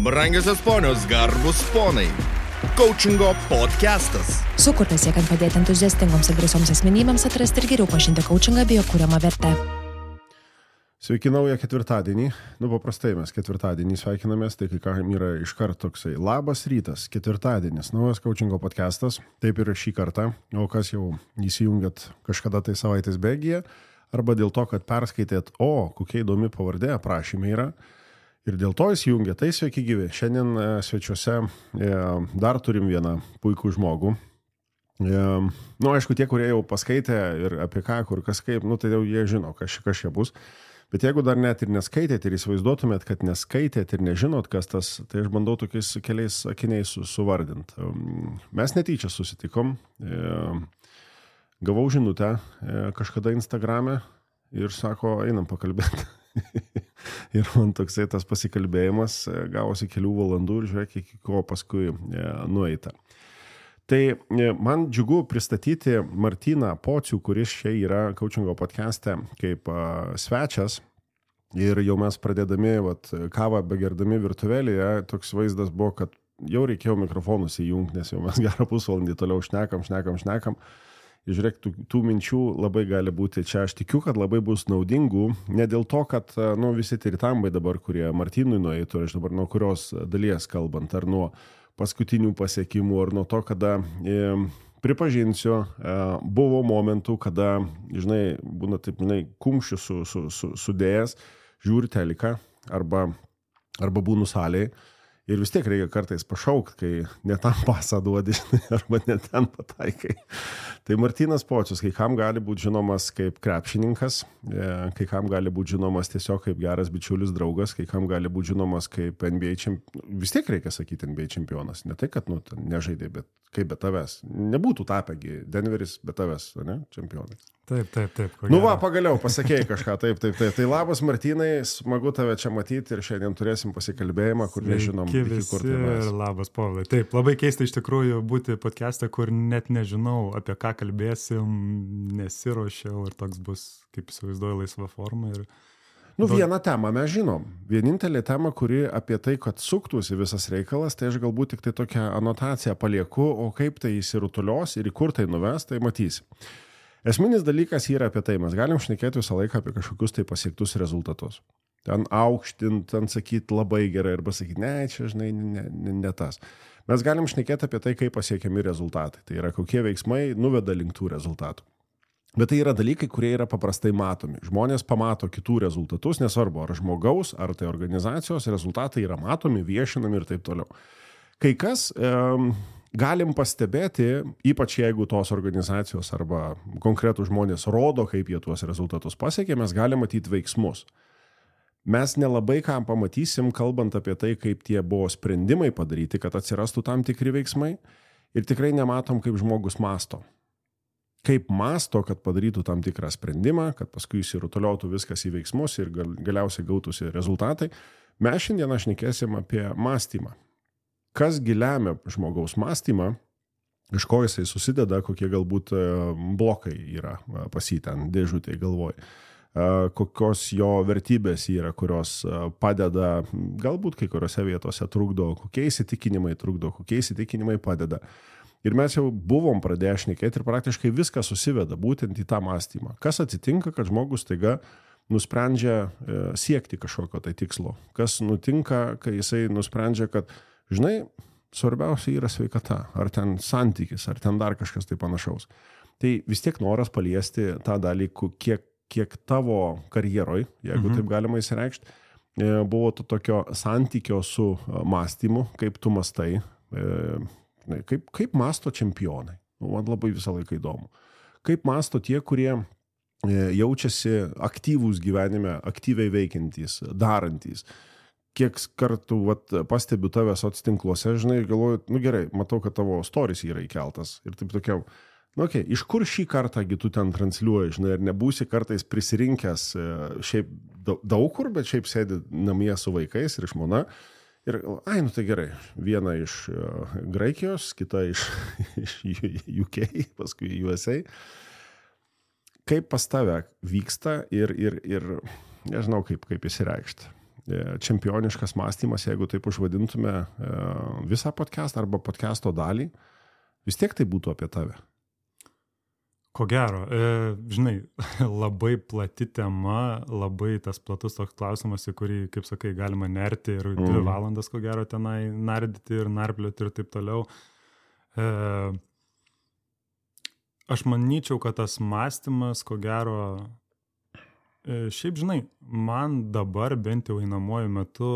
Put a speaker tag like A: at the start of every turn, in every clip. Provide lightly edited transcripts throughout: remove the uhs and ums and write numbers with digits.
A: Brangiosios ponios, garbus ponai. Coachingo podcastas.
B: Sukurtas siekiant padėti entuziastingoms ir drąsioms asmenybėms atrasti ir geriau pažinti coachingą bei jo kuriamą vertę.
C: Sveiki naują ketvirtadienį. Paprastai mes ketvirtadienį sveikinamės, tai kai kam yra iškart toksai. Labas rytas, ketvirtadienis, naujas coachingo podcastas. Taip ir šį kartą. O kas jau įsijungėt kažkada tai savaitės bėgyje, arba dėl to, kad perskaitėt, kokia įdomi pavardė aprašymė yra. Ir dėl to įsijungė, tai sveiki gyvi. Šiandien svečiuose dar turim vieną puikų žmogų. Aišku, tie, kurie jau paskaitė ir apie ką, kur kas kaip, tai jau jie žino, kas čia bus. Bet jeigu dar net ir neskaitėt ir įsivaizduotumėt, kad neskaitėt ir nežinot, kas tas, tai aš bandau tokiais keliais akiniais suvardinti. Mes netyčia susitikom, gavau žinutę kažkada Instagrame ir sako, einam pakalbėti. Ir man toksai tas pasikalbėjimas gavosi kelių valandų ir žiūrėk, iki ko paskui nueita. Tai man džiugu pristatyti Martyną Pocių, kuris čia yra coachingo podcaste kaip svečias. Ir jau mes pradėdami kavą begerdami virtuvėlėje, toks vaizdas buvo, kad jau reikėjo mikrofonus įjungti, nes jau mes gerą pusvalandį toliau šnekam. Ir žiūrėk, tų minčių labai gali būti čia. Aš tikiu, kad labai bus naudingų, ne dėl to, kad visi tiritambai dabar, kurie Martynui nueitų, aš dabar nuo kurios dalies kalbant, ar nuo paskutinių pasiekimų, ar nuo to, kada pripažinsiu, buvo momentų, kada, būna taip, kumščių sudėjęs, žiūri teliką, arba būnu salėje. Ir vis tiek reikia kartais pašaukti, kai ne tam pasą duodi, arba ne ten pataikai. Tai Martynas Pocius, kai kam gali būti žinomas kaip krepšininkas, kai kam gali būti žinomas tiesiog kaip geras bičiulis draugas, kai kam gali būti žinomas kaip NBA čempionas. Vis tiek reikia sakyti NBA čempionas. Ne tai, kad nežaidė, bet kaip be tavęs. Nebūtų tapęgi Denveris be tavęs, ne? Čempionai.
D: Taip.
C: Pagaliau pasakėjai kažką, taip. Tai labas Martynai, smagu tave čia matyti ir šiandien turėsim pasikalbėjimą, kur nežinom, iki kur tai mes.
D: Ir labas Povilai. Taip, labai keista iš tikrųjų būti podcast'e, kur net nežinau, apie ką kalbėsim, nesiruošiau ir toks bus, kaip įsivaizduoju, laisva forma. Ir
C: vieną temą mes žinom. Vienintelė tema, kuri apie tai, kad suktųsi visas reikalas, tai aš galbūt tik tai tokią anotaciją palieku, o kaip tai įsirutulios ir į kur tai nuves, tai matysi. Esminis dalykas yra apie tai, mes galim šnekėti visą laiką apie kažkokius tai pasiektus rezultatus. Ten aukštint, ten sakyti labai gerai arba sakyti, čia ne tas. Mes galim šnekėti apie tai, kaip pasiekiami rezultatai. Tai yra kokie veiksmai nuveda link tų rezultatų. Bet tai yra dalykai, kurie yra paprastai matomi. Žmonės pamato kitų rezultatus, nesvarbu, ar žmogaus, ar tai organizacijos rezultatai yra matomi, viešinami ir taip toliau. Kai kas galim pastebėti, ypač jeigu tos organizacijos arba konkretų žmonės rodo, kaip jie tuos rezultatus pasiekė, mes galim matyti veiksmus. Mes nelabai ką pamatysim, kalbant apie tai, kaip tie buvo sprendimai padaryti, kad atsirastų tam tikri veiksmai ir tikrai nematom, kaip žmogus masto. Kaip masto, kad padarytų tam tikrą sprendimą, kad paskui įsirutuliotų viskas į veiksmus ir galiausiai gautųsi rezultatai. Mes šiandien šnekėsim apie mąstymą. Kas lemia žmogaus mąstymą, iš ko jisai susideda, kokie galbūt blokai yra pas jį ten dėžutėje galvoj, kokios jo vertybės yra, kurios padeda, galbūt kai kuriuose vietose trukdo, kokie įsitikinimai trukdo, kokie įsitikinimai padeda. Ir mes jau buvom pradėję šnekėti ir praktiškai viskas susiveda būtent į tą mąstymą. Kas atsitinka, kad žmogus taiga nusprendžia siekti kažkokio tai tikslo? Kas nutinka, kai jisai nusprendžia, kad svarbiausia yra sveikata, ar ten santykis, ar ten dar kažkas tai panašaus. Tai vis tiek noras paliesti tą dalykų, kiek tavo karjeroj, jeigu taip galima įsireikšti, buvo to tokio santykio su mąstymu, kaip tu mastai, kaip masto čempionai. Man labai visą laiką įdomu. Kaip masto tie, kurie jaučiasi aktyvūs gyvenime, aktyviai veikiantys, darantys. Kiek kartų pastebiu tave socitinkluose, galvoju, gerai, matau, kad tavo stories yra įkeltas. Ir taip tokia, iš kur šį kartągi tu ten transliuoji, ir nebūsi kartais prisirinkęs šiaip daug kur, bet šiaip sėdi namie su vaikais ir žmona. Ir, tai gerai, viena iš Graikijos, kita iš UK, paskui USA. Kaip pas tave vyksta ir nežinau, kaip įsireikšti. čempioniškas mąstymas, jeigu taip užvadintume visą podcastą arba podcasto dalį, vis tiek tai būtų apie tave.
D: Ko gero, žinai, labai plati tema, labai tas platus toks klausimas, į kurį, kaip sakai, galima nerti ir 2 valandas, ko gero, tenai nardyti ir narplioti ir taip toliau. Aš manyčiau, kad tas mąstymas, ko gero, šiaip, žinai, man dabar bent jau einamuoju metu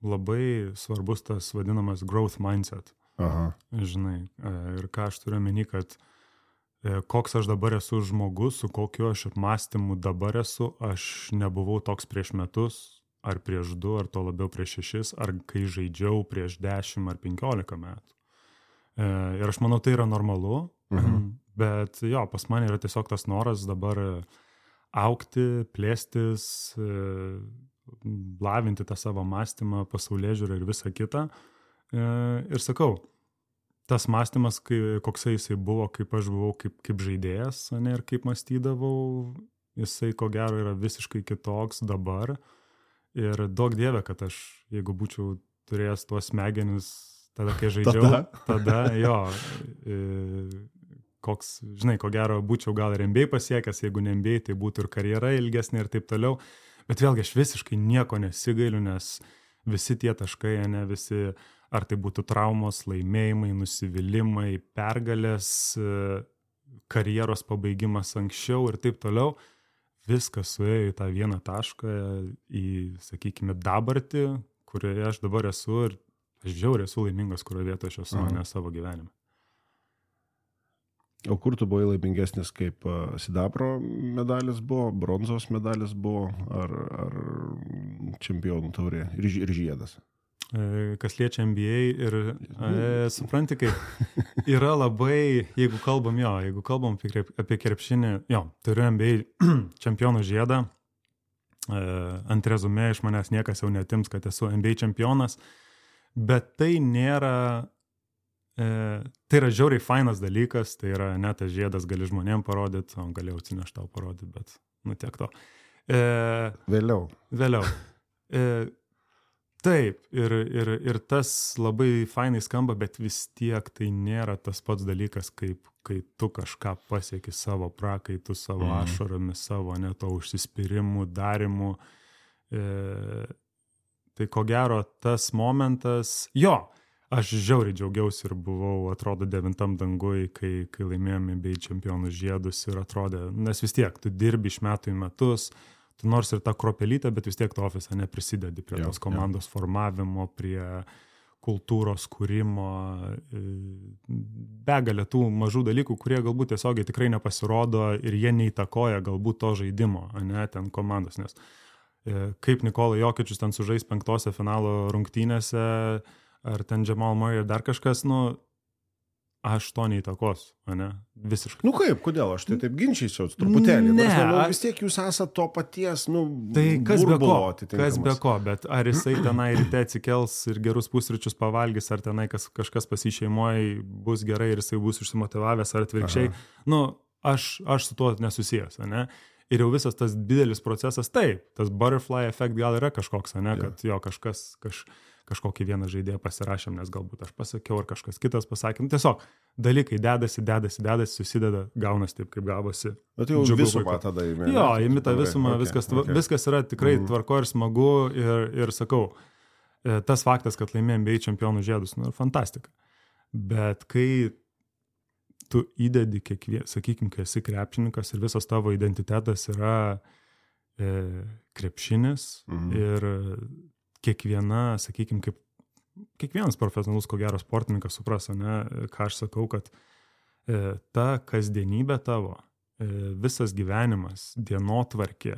D: labai svarbus tas vadinamas growth mindset.
C: Aha.
D: Žinai, ir ką aš turiu omeny, kad koks aš dabar esu žmogus, su kokiu aš apmąstymu dabar esu, aš nebuvau toks prieš metus, ar prieš 2, ar to labiau prieš 6, ar kai žaidžiau prieš 10 ar 15 metų. Ir aš manau, tai yra normalu, bet jo, pas mane yra tiesiog tas noras dabar augti, plėstis, lavinti tą savo mąstymą, pasaulėžiūrą ir visą kitą. Ir sakau, tas mąstymas, koksai jisai buvo, kaip aš buvau, kaip žaidėjas, ne, ir kaip mąstydavau, jisai ko gero yra visiškai kitoks dabar. Ir duok dieve, kad aš, jeigu būčiau turėjęs tuos smegenis, tada, kai žaidžiau, tada jo, koks, žinai, ko gero būčiau gal ir NBA pasiekęs, jeigu ne NBA, tai būtų ir karjera ilgesnė ir taip toliau. Bet vėlgi aš visiškai nieko nesigailiu, nes visi tie taškai, ne, visi, ar tai būtų traumos, laimėjimai, nusivylimai, pergalės, karjeros pabaigimas anksčiau ir taip toliau, viskas suėjo į tą vieną tašką, į, sakykime, dabartį, kurioje aš dabar esu ir aš žiauriai esu laimingas, kurioje vietoje aš esu, ne savo gyvenime.
C: O kur tu buvai laimingesnis, kaip sidabro medalis buvo, bronzos medalis buvo, ar čempionų taurė ir žiedas?
D: Kas liečia NBA ir supranti, kaip yra labai, jeigu kalbam apie krepšinį, turiu NBA čempionų žiedą, ant rezumė iš manęs niekas jau netims, kad esu NBA čempionas, bet tai nėra, tai yra žiauriai fainas dalykas, tai yra net tas žiedas gali žmonėm parodyti, o galėjau atsinešti tau parodyti, bet tiek to. Vėliau. Taip, ir tas labai fainai skamba, bet vis tiek tai nėra tas pats dalykas, kai tu kažką pasieki savo prakaitu, savo ašaromis, savo to užsispyrimu, darimu. Tai ko gero tas momentas, aš žiauriai džiaugiausi ir buvau, atrodo, 9 dangui, kai laimėjome bei čempionų žiedus ir atrodė, nes vis tiek tu dirbi iš metų į metus, tu nors ir tą kropelytę, bet vis tiek tu ofisą neprisidedi prie tos komandos formavimo, prie kultūros kūrimo, begalė tų mažų dalykų, kurie galbūt tiesiogiai tikrai nepasirodo ir jie neįtakoja galbūt to žaidimo, ne, ten komandos, nes kaip Nikola Jokičius ten sužais 5 finalo rungtynėse, ar ten Jamal Murray ir dar kažkas, aš to neįtakos, ne? Visiškai.
C: Kaip, kodėl? Aš tai taip ginčysiu truputėlį. Vis tiek jūs esate to paties,
D: tai kas be ko, bet ar jisai tenai ryte atsikels ir gerus pusryčius pavalgys, ar tenai kažkas pasišeimoja bus gerai ir jisai bus užsimotyvavęs, ar atvirkščiai, aš su tuo nesusijęs, ne? Ir jau visas tas didelis procesas, taip, tas butterfly effect gal yra kažkoks, ne? Kad kažkokį vieną žaidėją pasirašėm, nes galbūt aš pasakiau, ar kažkas kitas pasakė. Tiesiog dalykai dedasi, susideda, gaunas taip, kaip gavosi.
C: Bet jau visumą tada įmė.
D: Įmi tą visumą, viskas yra tikrai tvarko ir smagu ir sakau, tas faktas, kad laimėjom bei čempionų žiedus, fantastika. Bet kai tu įdedi sakykim, kai esi krepšininkas ir visas tavo identitetas yra krepšinis ir kiekviena, sakykim, kaip kiekvienas profesionalus, ko gero sportininkas supras, ne, ką aš sakau, kad ta kasdienybė tavo, visas gyvenimas, dienotvarkė,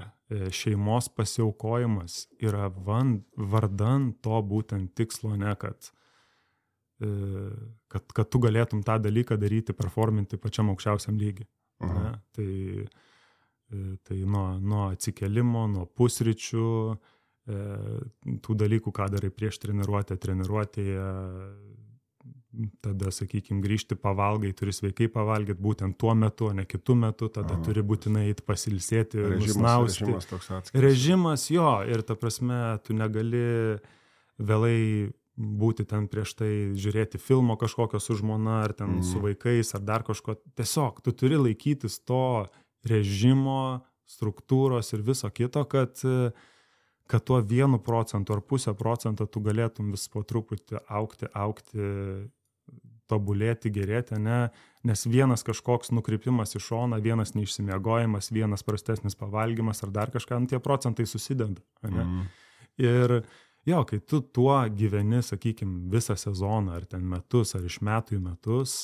D: šeimos pasiaukojimas yra vardan to būtent tikslo, ne, kad tu galėtum tą dalyką daryti, performinti pačiam aukščiausiam lygiui. Ne? Tai nuo atsikelimo, nuo pusryčių, tų dalykų, ką darai prieš treniruotėje, tada, sakykime, grįžti pavalgai, turi sveikai pavalgyti būtent tuo metu, o ne kitu metu, tada turi būtinai eiti pasilsėti, nusnausti.
C: Režimas toks atskiras.
D: Režimas, jo, ir ta prasme, tu negali vėlai būti ten prieš tai žiūrėti filmo kažkokio su žmona, ar ten su vaikais, ar dar kažko. Tiesiog, tu turi laikytis to režimo, struktūros ir viso kito, kad tuo 1% ar 0,5% tu galėtum vis po truputį augti, tobulėti, gerėti, ne? Nes vienas kažkoks nukrypimas į šoną, vienas neišsimiegojimas, vienas prastesnis pavalgymas ar dar kažką, tie procentai susideda. Ne? Ir jo, kai tu tuo gyveni, sakykime, visą sezoną, ar ten metus, ar iš metų į metus,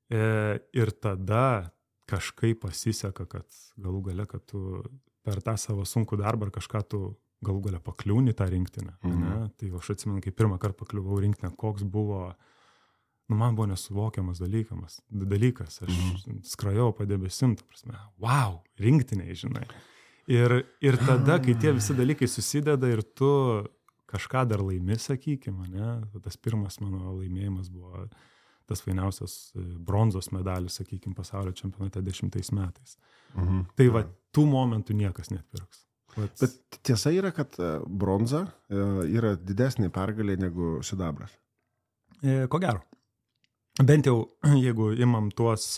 D: ir tada kažkaip pasiseka, kad galų gale, kad tu per tą savo sunkų darbą ar kažką tu galų gale pakliūni tą rinktinę. Tai aš atsimenu, kai pirmą kartą pakliuvau rinktinę, koks buvo, man buvo nesuvokiamas dalykas. Aš skrajau padebesim, ta prasme, wow, rinktiniai, žinai. Ir tada, kai tie visi dalykai susideda ir tu kažką dar laimi, sakykime, ne? Tas pirmas mano laimėjimas buvo tas fainiausias bronzos medalis, sakykime, pasaulio čempionate 10 metais. Tai va, tų momentų niekas neatpirks.
C: Bet tiesa yra, kad bronza yra didesnė pergalė negu sidabras.
D: Ko gero. Bent jau, jeigu imam tuos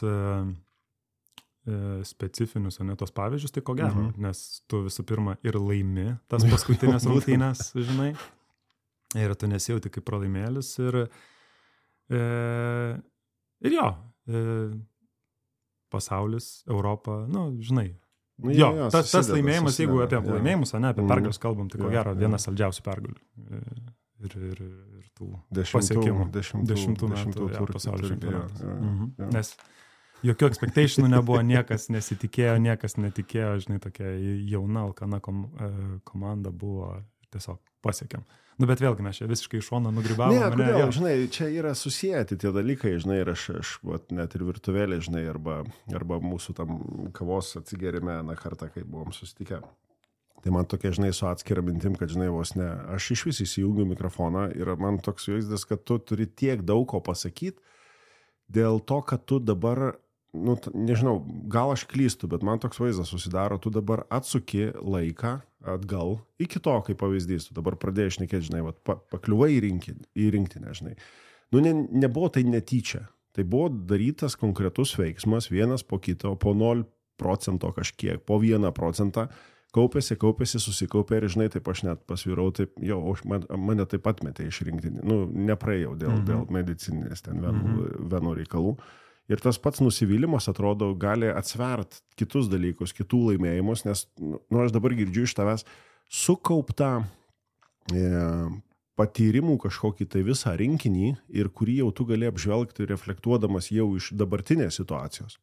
D: specifinius, o ne tos pavyzdžius, tai ko gero, nes tu visų pirma ir laimi tas paskutinės rungtynės, žinai, ir tu nesijauti kaip pralaimėlis ir jo, pasaulis, Europa, žinai, tas laimėjimas, jeigu apie laimėjimus, o ne apie pergalius kalbam, tai ko gero vienas saldžiausių pergalių ir tų pasiekimų 10 metų pasaulio čempionatas. Nes jokių expectationų nebuvo, niekas nesitikėjo, niekas netikėjo, žinai, tokia jauna, alkana komanda buvo, tiesiog pasiekėm. Bet vėlgi mes čia visiškai iš šono nugrybavom.
C: Ne, kodėl, žinai, čia yra susijęti tie dalykai, žinai, ir aš net ir virtuvėlė, žinai, arba mūsų tam kavos atsigerime kartą, kai buvom susitikę. Tai man tokia, žinai, su atskira mintim, kad, žinai, vos ne, aš iš vis įsijungiu mikrofoną ir man toks vaizdas, kad tu turi tiek daug ko pasakyti, dėl to, kad tu dabar, nežinau, gal aš klystu, bet man toks vaizdas susidaro, tu dabar atsuki laiką atgal iki to, kaip pavyzdys, tu dabar pradėjai šnekėti, žinai, pakliuvai į rinktinę, žinai. Nebuvo tai netyčia, tai buvo darytas konkretus veiksmas, vienas po kito, po 0% kažkiek, po 1%, kaupėsi, susikaupė ir, žinai, taip aš net pasvirau, taip, mane taip atmetė iš rinktinį, nepraėjau dėl medicininės ten venų reikalų. Ir tas pats nusivylimas, atrodo, gali atsvert kitus dalykus, kitų laimėjimus, nes aš dabar girdžiu iš tavęs sukauptą patyrimų kažkokį tai visą rinkinį ir kurį jau tu gali apžvelgti reflektuodamas jau iš dabartinės situacijos.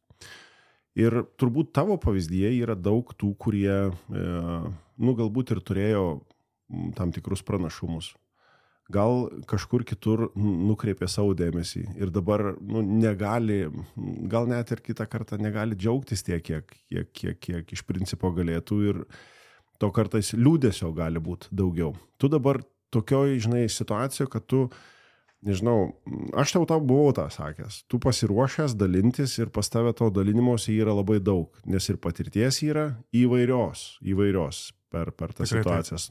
C: Ir turbūt tavo pavyzdyje yra daug tų, kurie, galbūt ir turėjo tam tikrus pranašumus. Gal kažkur kitur nukreipė savo dėmesį ir dabar negali, gal net ir kitą kartą negali džiaugtis tiek, kiek iš principo galėtų ir to kartais liūdesio gali būti daugiau. Tu dabar tokioj, žinai, situacijoje, kad tu, nežinau, aš tau buvau tą sakęs, tu pasiruošęs dalintis ir pas tave to dalinimosi yra labai daug, nes ir patirties yra įvairios per tas situacijas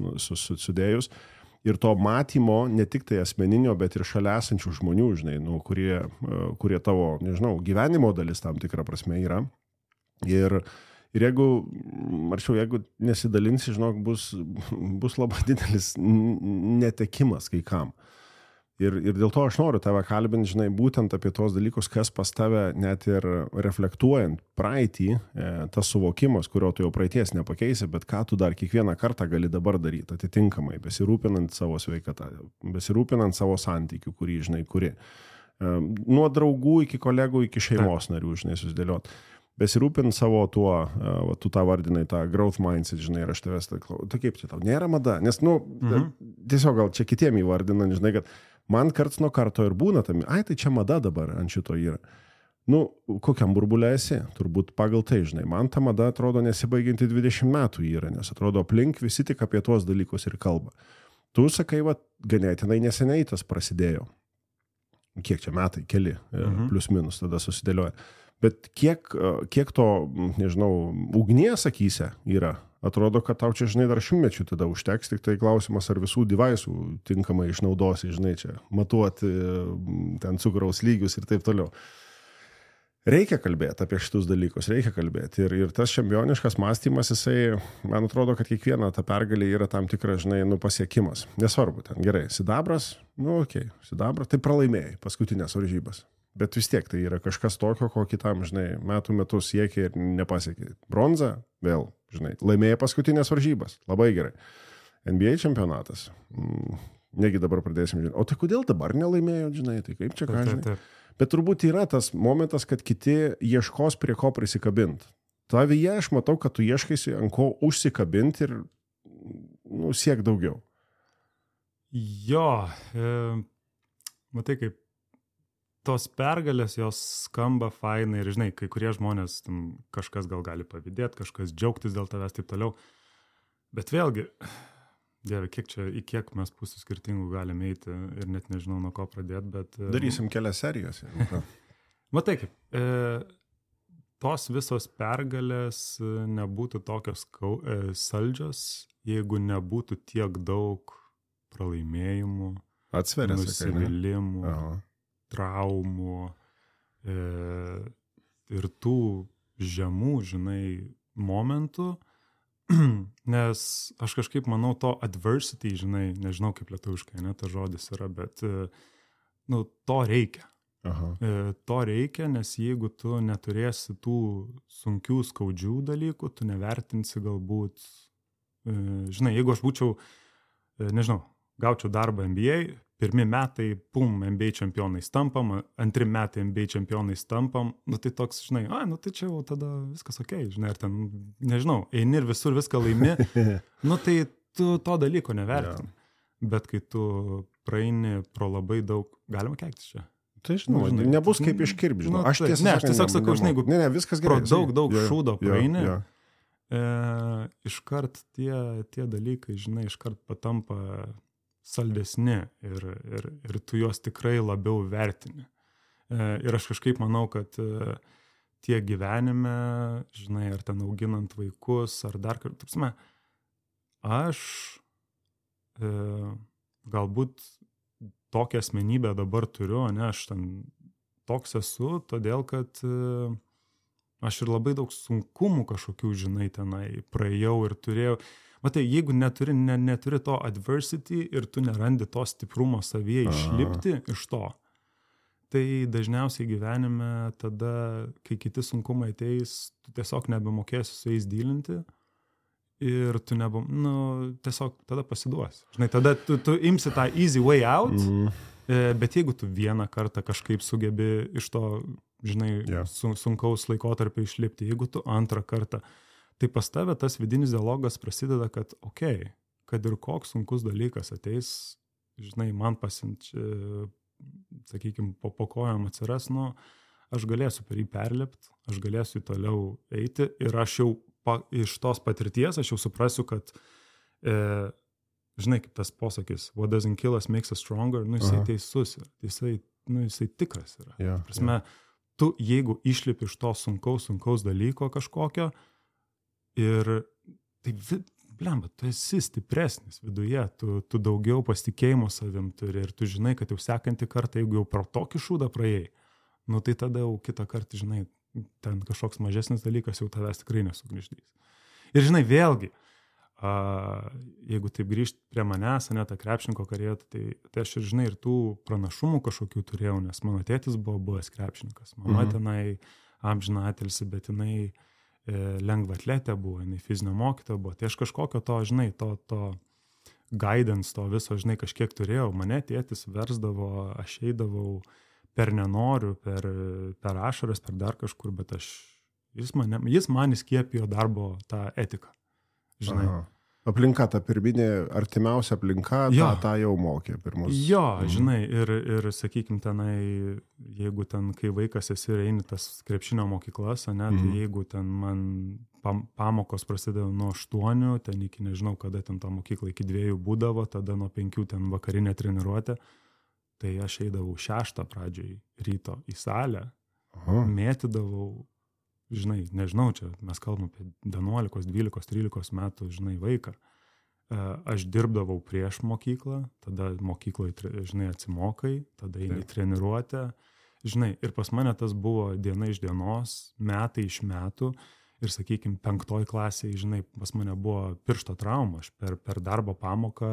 C: sudėjus. Ir to matymo, ne tik tai asmeninio, bet ir šalia esančių žmonių, žinai, kurie tavo, nežinau, gyvenimo dalis tam tikrą prasme yra. Ir jeigu nesidalinsi, žinok, bus labai didelis netekimas kai kam. Ir dėl to aš noriu tave kalbinti, žinai, būtent apie tos dalykus, kas pas tave net ir reflektuojant praeitį, tas suvokimas, kurio tu jau praeities nepakeisi, bet ką tu dar kiekvieną kartą gali dabar daryti atitinkamai, besirūpinant savo sveikatą, besirūpinant savo santykių, kurį, žinai, kuri. Nuo draugų iki kolegų, iki šeimos narių, žinai, susidėliot. Besirūpinant savo tuo, tu tą vardinai, tą growth mindset, žinai, ir aš tavęs tai kaip čia tau, nėra mada, nes, tiesiog gal čia kitiem įvardinant, žinai, kad man karts nuo karto ir būna tam, tai čia mada dabar ant šito yra. Kokiam burbulė esi? Turbūt pagal tai, žinai, man ta mada atrodo nesibaigianti 20 metų yra, nes atrodo aplink visi tik apie tuos dalykus ir kalba. Tu sakai, ganėtinai neseniai tas prasidėjo. kiek čia metai, keli, plius minus tada susidėlioja. Bet kiek to, nežinau, ugnies akyse yra? Atrodo, kad tau čia, žinai, dar 100 tada užteks, tik tai klausimas, ar visų devaisų tinkamai išnaudosi, žinai, čia matuoti ten cukraus lygius ir taip toliau. Reikia kalbėti apie šitus dalykus, reikia kalbėti. Ir tas čempioniškas mąstymas, jisai, man atrodo, kad kiekviena ta pergalė yra tam tikras, žinai, pasiekimas. Nesvarbu, ten gerai, sidabras, sidabras, tai pralaimėjai paskutinės varžybas. Bet vis tiek tai yra kažkas tokio, ko kitam, žinai, metų siekia ir nepasiekia. Bronza, vėl, žinai, laimėjai paskutinės varžybas, labai gerai. NBA čempionatas, negi dabar pradėsim, žinai, o tai kodėl dabar nelaimėjo, žinai, tai kaip čia ką, žinai. Bet turbūt yra tas momentas, kad kiti ieškos prie ko prisikabinti. Tavyje aš matau, kad tu ieškaisi ant ko užsikabinti ir siek daugiau.
D: Jo, matai, kaip tos pergalės, jos skamba fainai ir, žinai, kai kurie žmonės, kažkas gal gali pavydėti, kažkas džiaugtis dėl tavęs, taip toliau. Bet vėlgi, Dieve, kiek mes pusių skirtingų galime eiti ir net nežinau, nuo ko pradėti, bet...
C: Darysim kelias serijas.
D: Matai kaip, tos visos pergalės nebūtų tokios saldžios, jeigu nebūtų tiek daug pralaimėjimų, nusivylimų, traumų ir tų žemų, žinai, momentų. Nes aš kažkaip manau to adversity, žinai, nežinau kaip lietuviškai, ne, ta žodis yra, bet to reikia. To reikia, nes jeigu tu neturėsi tų sunkių, skaudžių dalykų, tu nevertinsi galbūt, žinai, jeigu aš būčiau, nežinau, gaučiau darbą NBA, pirmi metai, NBA čempionais tampam, antri metai NBA čempionais tampam, tai toks, žinai, tai čia jau tada viskas okei, žinai, ar ten, nežinau, eini ir visur viską laimi, tai tu to dalyko nevertini. Bet kai tu praeini pro labai daug, galima keiktis čia.
C: Tai žinau, nebus kaip iškirpti, žinau.
D: Aš tiesiog sakau, žinai, jeigu pro daug šūdo praeini, iškart tie dalykai, žinai, iškart patampa saldesni ir tu juos tikrai labiau vertini. Ir aš kažkaip manau, kad tie gyvenime, žinai, ar ten auginant vaikus, ar dar kartą, aš galbūt tokią asmenybę dabar turiu, ne, aš ten toks esu, todėl, kad aš ir labai daug sunkumų kažkokių, žinai, tenai praėjau ir turėjau. Matai, jeigu neturi to adversity ir tu nerandi to stiprumo savyje išlipti iš to, tai dažniausiai gyvenime tada, kai kiti sunkumai ateis, tu tiesiog nebemokėsi su jais dylinti ir tu tiesiog tada pasiduosi. Žinai, tada tu imsi tą easy way out, bet jeigu tu vieną kartą kažkaip sugebi iš to, žinai, sunkaus laikotarpio išlipti, jeigu tu antrą kartą, tai pas tave tas vidinis dialogas prasideda, kad kad ir koks sunkus dalykas ateis, žinai, man sakykime, po kojom atsiras, aš galėsiu per jį perlipti, aš galėsiu toliau eiti ir aš jau iš tos patirties, aš jau suprasiu, kad, žinai, kaip tas posakis, what doesn't kill us makes us stronger, jisai teisus yra, jisai tikras yra. Prasme, tu jeigu išlipi iš to sunkaus dalyko kažkokio, ir tai, blemba, tu esi stipresnis viduje, tu daugiau pasitikėjimo savim turi ir tu žinai, kad jau sekantį kartą, jeigu jau pro tokį šūdą praėjai, tai tada jau kitą kartą, žinai, ten kažkoks mažesnis dalykas jau tavęs tikrai nesugniždys. Ir žinai, vėlgi, jeigu taip grįžti prie manęs, ne, tą krepšininko karjerą, tai aš ir, žinai, ir tų pranašumų kažkokių turėjau, nes mano tėtis buvo buvęs krepšininkas, mama tenai amžiną atilsį, bet jinai lengva atletė buvo, jinai fizinio mokytoja buvo, tai aš kažkokio to, žinai, to guidance, to viso, žinai, kažkiek turėjau, mane tėtis versdavo, aš eidavau per nenoriu, per ašaras, per dar kažkur, bet jis man įskiepijo darbo tą etiką, žinai.
C: Aplinka, ta pirminė, artimiausia aplinka, tą jau mokė pirmus.
D: Jo, žinai, ir sakykim, tenai, jeigu ten, kai vaikas esi ir eini tas krepšinio mokyklas, tai jeigu ten man pamokos prasidėjo nuo 8, ten iki nežinau, kada ten ta mokykla iki 2 būdavo, tada nuo 5 ten vakarinė treniruotė, tai aš eidavau 6 pradžioj ryto į salę, mėtydavau, žinai, nežinau, čia mes kalbam apie 11, 12, 13 metų, žinai, vaiką. Aš dirbdavau prieš mokyklą, tada mokykloje, žinai, atsimokai, tada eini treniruotę, žinai, ir pas mane tas buvo diena iš dienos, metai iš metų, ir, sakykime, 5 klasėje, žinai, pas mane buvo piršto trauma, aš per darbo pamoką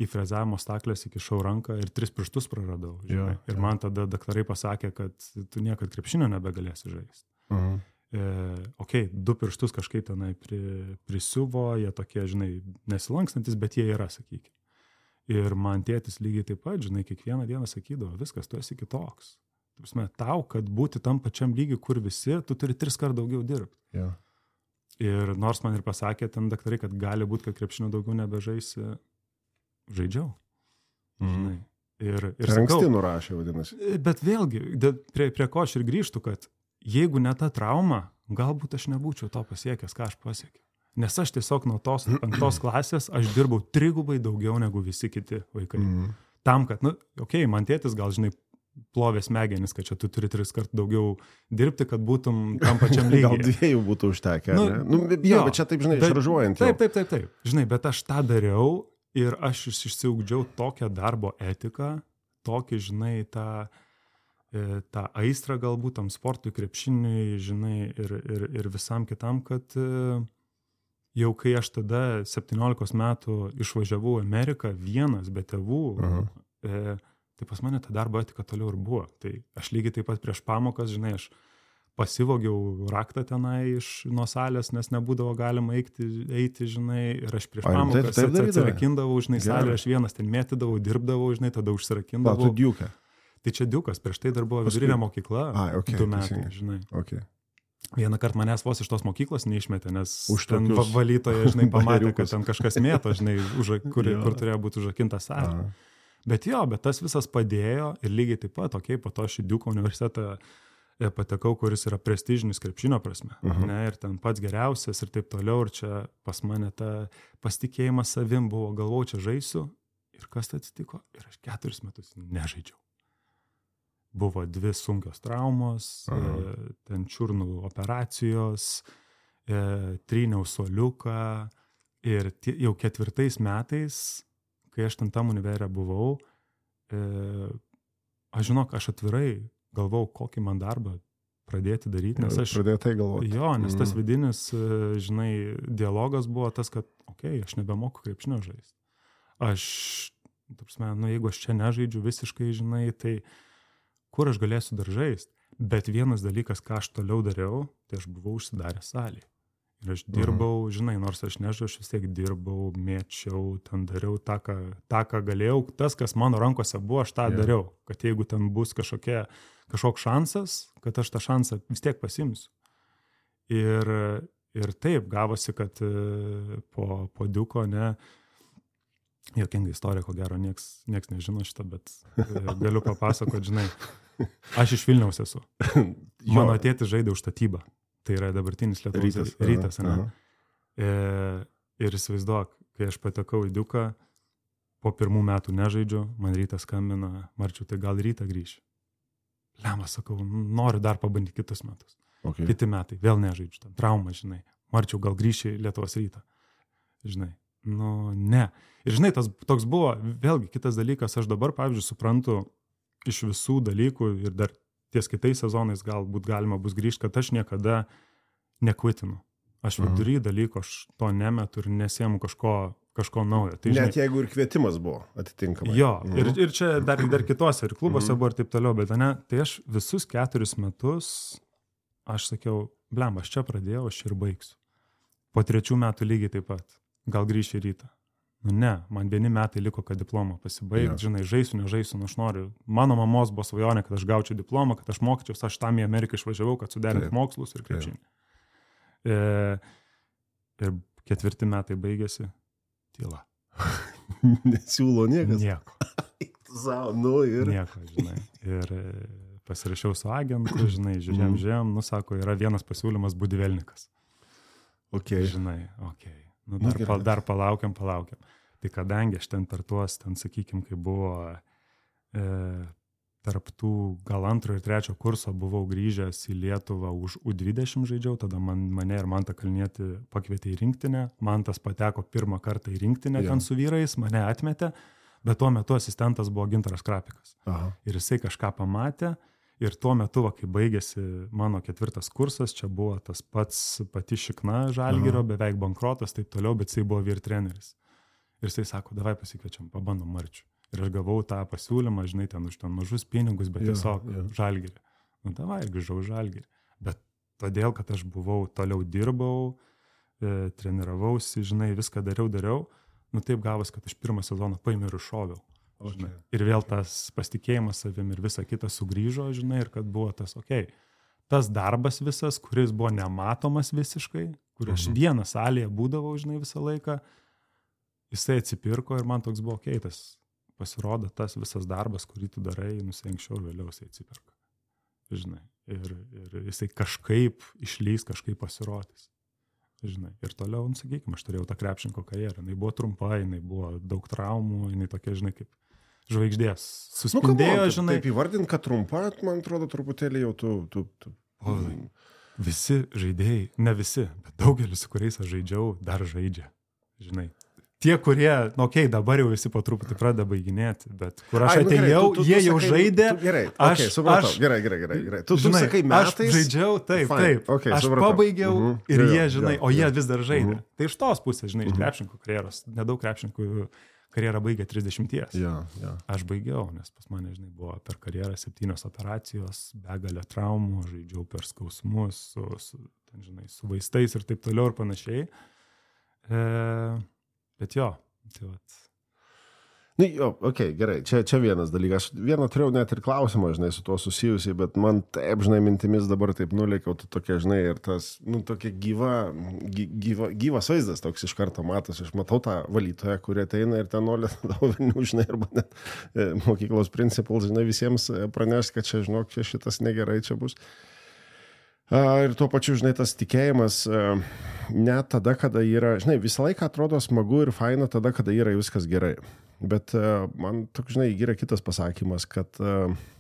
D: į frezavimo staklės įkišau ranką ir 3 pirštus praradau, žinai, ir man tada daktarai pasakė, kad tu niekad krepšinio nebegalėsi žaisti. Ok, 2 pirštus kažkaip tenai prisiuvo, jie tokie, žinai, nesilankstantis, bet jie yra, sakykime. Ir man tėtis lygiai taip pat, žinai, kiekvieną dieną sakydavo, viskas, tu esi kitoks. Tau, kad būti tam pačiam lygiui, kur visi, tu turi 3 kart daugiau dirbti.
C: Yeah.
D: Ir nors man ir pasakė ten daktarai, kad gali būti, kad krepšinio daugiau nebežaisi, žaidžiau. Žinai. Ir
C: anksti nurašė, vadinasi.
D: Bet vėlgi, prie ko aš ir grįžtu, kad jeigu ne ta trauma, galbūt aš nebūčiau to pasiekęs, ką aš pasiekiau. Nes aš tiesiog nuo tos 5 klasės aš dirbau 3 gubai daugiau negu visi kiti vaikai. Tam, kad, man tėtis gal, žinai, plovė smegenis, kad čia tu turi 3 kart daugiau dirbti, kad būtum tam pačiam lygiai.
C: Gal 2 būtų užtekę, ne? Bet čia taip, žinai, šaržuojant.
D: Taip. Žinai, bet aš tą dariau ir aš išsiugdžiau tokią darbo etiką, tokį, žinai, tą aistrą galbūt tam sportui, krepšiniui, žinai, ir visam kitam, kad jau kai aš tada 17 metų išvažiavau į Ameriką vienas, be tėvų, tai pas mane ta darbo etika toliau ir buvo. Tai aš lygiai taip pat prieš pamokas, žinai, aš pasivogiau raktą tenai nuo salės, nes nebūdavo galima eiti, žinai, ir aš prieš pamokas atsirakindavau, žinai, salę, aš vienas ten mėtydavau, dirbdavau, žinai, tada užsirakindavau.
C: Tu Diuke.
D: Tai čia Diukas, prieš tai dar buvo vidurinė mokykla, 2 metai, žinai.
C: Okay.
D: Vieną kartą manęs vos iš tos mokyklos neišmetė, nes ten valytoje, žinai, pamatė, kad ten kažkas mėto, žinai, kur turėjo būti užrakinta salė. Bet tas visas padėjo ir lygiai taip pat, po to aš į Diuko universitetą patekau, kuris yra prestižinis krepšinio prasme, ne, ir ten pats geriausias ir taip toliau, ir čia pas mane ta pasitikėjimas savim buvo, galvojau, čia žaisiu, ir kas tai atsitiko, ir aš 4 metus nežaidžiau. Buvo 2 sunkios traumos, ten čiurnų operacijos, tryniau suoliuką, ir jau 4 metais, kai aš ten tam univerė buvau, aš atvirai galvau, kokį man darbą pradėti daryti, nes aš
C: pradėtai galvoti.
D: Nes tas vidinis, žinai, dialogas buvo tas, kad, aš nebemoku krepšinio žaisti. Jeigu aš čia nežaidžiu visiškai, žinai, tai kur aš galėsiu dar žaisti? Bet vienas dalykas, ką aš toliau dariau, tai aš buvau užsidaręs salėje. Ir aš dirbau, žinai, nors aš nežinau, aš vis tiek dirbau, mėčiau, ten dariau tą, ką galėjau. Tas, kas mano rankose buvo, aš tą dariau. Kad jeigu ten bus kažkoks šansas, kad aš tą šansą vis tiek pasimsiu. Ir taip gavosi, kad po Diuko, ne, jokinga istorija, ko gero, nieks nežino šitą, bet galiu papasakoti, žinai, aš iš Vilniaus esu. Mano tėtis žaidė už statybą. Tai yra dabartinis Lietuvos Rytas. Ir įsivaizduok, kai aš patekau į Diuką, po 1 metų nežaidžiu, man Rytas skambina, Marčiau, tai gal Rytą grįši. Lemas, sakau, noriu dar pabandyti kitus metus. Kiti metai, vėl nežaidžiu, tam trauma, žinai. Marčiau, gal grįši į Lietuvos Rytą. Žinai, ne. Ir žinai, tas toks buvo, vėlgi, kitas dalykas, aš dabar, pavyzdžiui, suprantu iš visų dalykų ir dar ties kitais sezonais galbūt galima bus grįžti, kad aš niekada nekvitinu. Aš vidury dalyko, aš to nemetu ir nesiemu kažko naujo. Tai, žinai,
C: net jeigu ir kvietimas buvo atitinkamai.
D: Ir čia dar kitose, ir klubuose buvo ir taip toliau, bet ne, tai aš visus 4 metus, aš sakiau, blem, aš čia pradėjau, aš ir baigsiu. Po 3 metų lygiai taip pat. Gal grįšiu į Rytą. Ne, man 1 metai liko, kad diplomą pasibaigti, žinai, žaisiu, nežaisiu, aš noriu. Mano mamos buvo svajonė, kad aš gaučiau diplomą, kad aš mokyčiausi, aš tam į Ameriką išvažiavau, kad suderinti mokslus ir krepšinį. Ir 4 metai baigėsi, tyla.
C: Nesiūlo niekas?
D: Nieko. Nieko, žinai. Ir pasirašiau su agentu, žinai, žiūrėjom, sako, yra vienas pasiūlymas Budivelnikas. Žinai, dar palaukiam. Tai kadangi aš ten per tuos, ten, sakykime, kai buvo tarp tų gal 2 ir 3 kurso buvau grįžęs į Lietuvą už U20 žaidžiau, tada mane ir Mantą Kalnietį pakvietė į rinktinę, Mantas pateko pirmą kartą į rinktinę ten su vyrais, mane atmetė, bet tuo metu asistentas buvo Gintaras Krapikas. Ir jisai kažką pamatė ir tuo metu, kai baigėsi mano 4 kursas, čia buvo tas pati šikna Žalgirio, beveik bankrotas, taip toliau, bet jisai buvo vyr treneris. Ir jisai sako, davai pasikviečiam, pabandom Marčių. Ir aš gavau tą pasiūlymą, žinai, ten už ten mažus pinigus, bet tiesiog Žalgirį. Nu, davai, ir grįžau Žalgirį. Bet todėl, kad aš toliau dirbau, treniravausi, žinai, viską dariau, nu taip gavos, kad aš pirmą sezoną paėmiau ir iššoviau. Žinai. Ir vėl tas pasitikėjimas savim ir visa kita sugrįžo, žinai, ir kad buvo tas, tas darbas visas, kuris buvo nematomas visiškai, kur aš vieną salėje būdavau, žinai, visą laiką, jisai atsipirko ir man toks buvo, tas pasirodo tas visas darbas, kurį tu darai, anksčiau ir vėliau jisai atsiperka. Žinai, ir jisai kažkaip išlys, kažkaip pasirodys. Žinai, ir toliau, sakykime, aš turėjau tą krepšinko karjerą. Jinai buvo trumpa, jinai buvo daug traumų, jinai tokia, žinai, kaip žvaigždės. Suspindėjo, žinai.
C: Taip įvardint, kad trumpa, man atrodo, truputėlį jau tu.
D: Visi žaidėjai, ne visi, bet daugelis, su kuriais aš žaidžiau, dar žaidžia. Žinai. Tie, kurie, dabar jau visi po truputį pradeda baiginėti, bet kur aš atėjau, jie jau žaidė.
C: Gerai, supratau, gerai. Tu sakai metais.
D: Aš žaidžiau, taip. Aš pabaigiau ir jie, žinai, o jie vis dar žaidė. Tai iš tos pusės, žinai, iš krepšininkų karjeros, nedaug krepšininkų karjerą baigė 30. Aš baigiau, nes pas mane, žinai, buvo per karjerą 7 operacijos, begalė traumų, žaidžiau per skausmus, su vaistais ir taip toliau ir panašiai. Bet jo, tai vat.
C: Gerai, čia vienas dalykas. Vieną turėjau net ir klausimą, žinai, su tuo susijusiai, bet man taip, žinai, mintimis dabar taip nulėkiau, tu tokia, žinai, ir tas, tokia gyvas vaizdas toks iš karto matas. Aš matau tą valytoją, kurie ateina ir ten nolė tavo vilnių, žinai, arba net mokyklos principal, žinai, visiems praneš, kad čia, žinok, čia šitas negerai čia bus. Ir tuo pačiu, žinai, tas tikėjimas net tada, kada yra, žinai, visą laiką atrodo smagu ir faina tada, kada yra viskas gerai. Bet man toks, žinai, yra kitas pasakymas, kad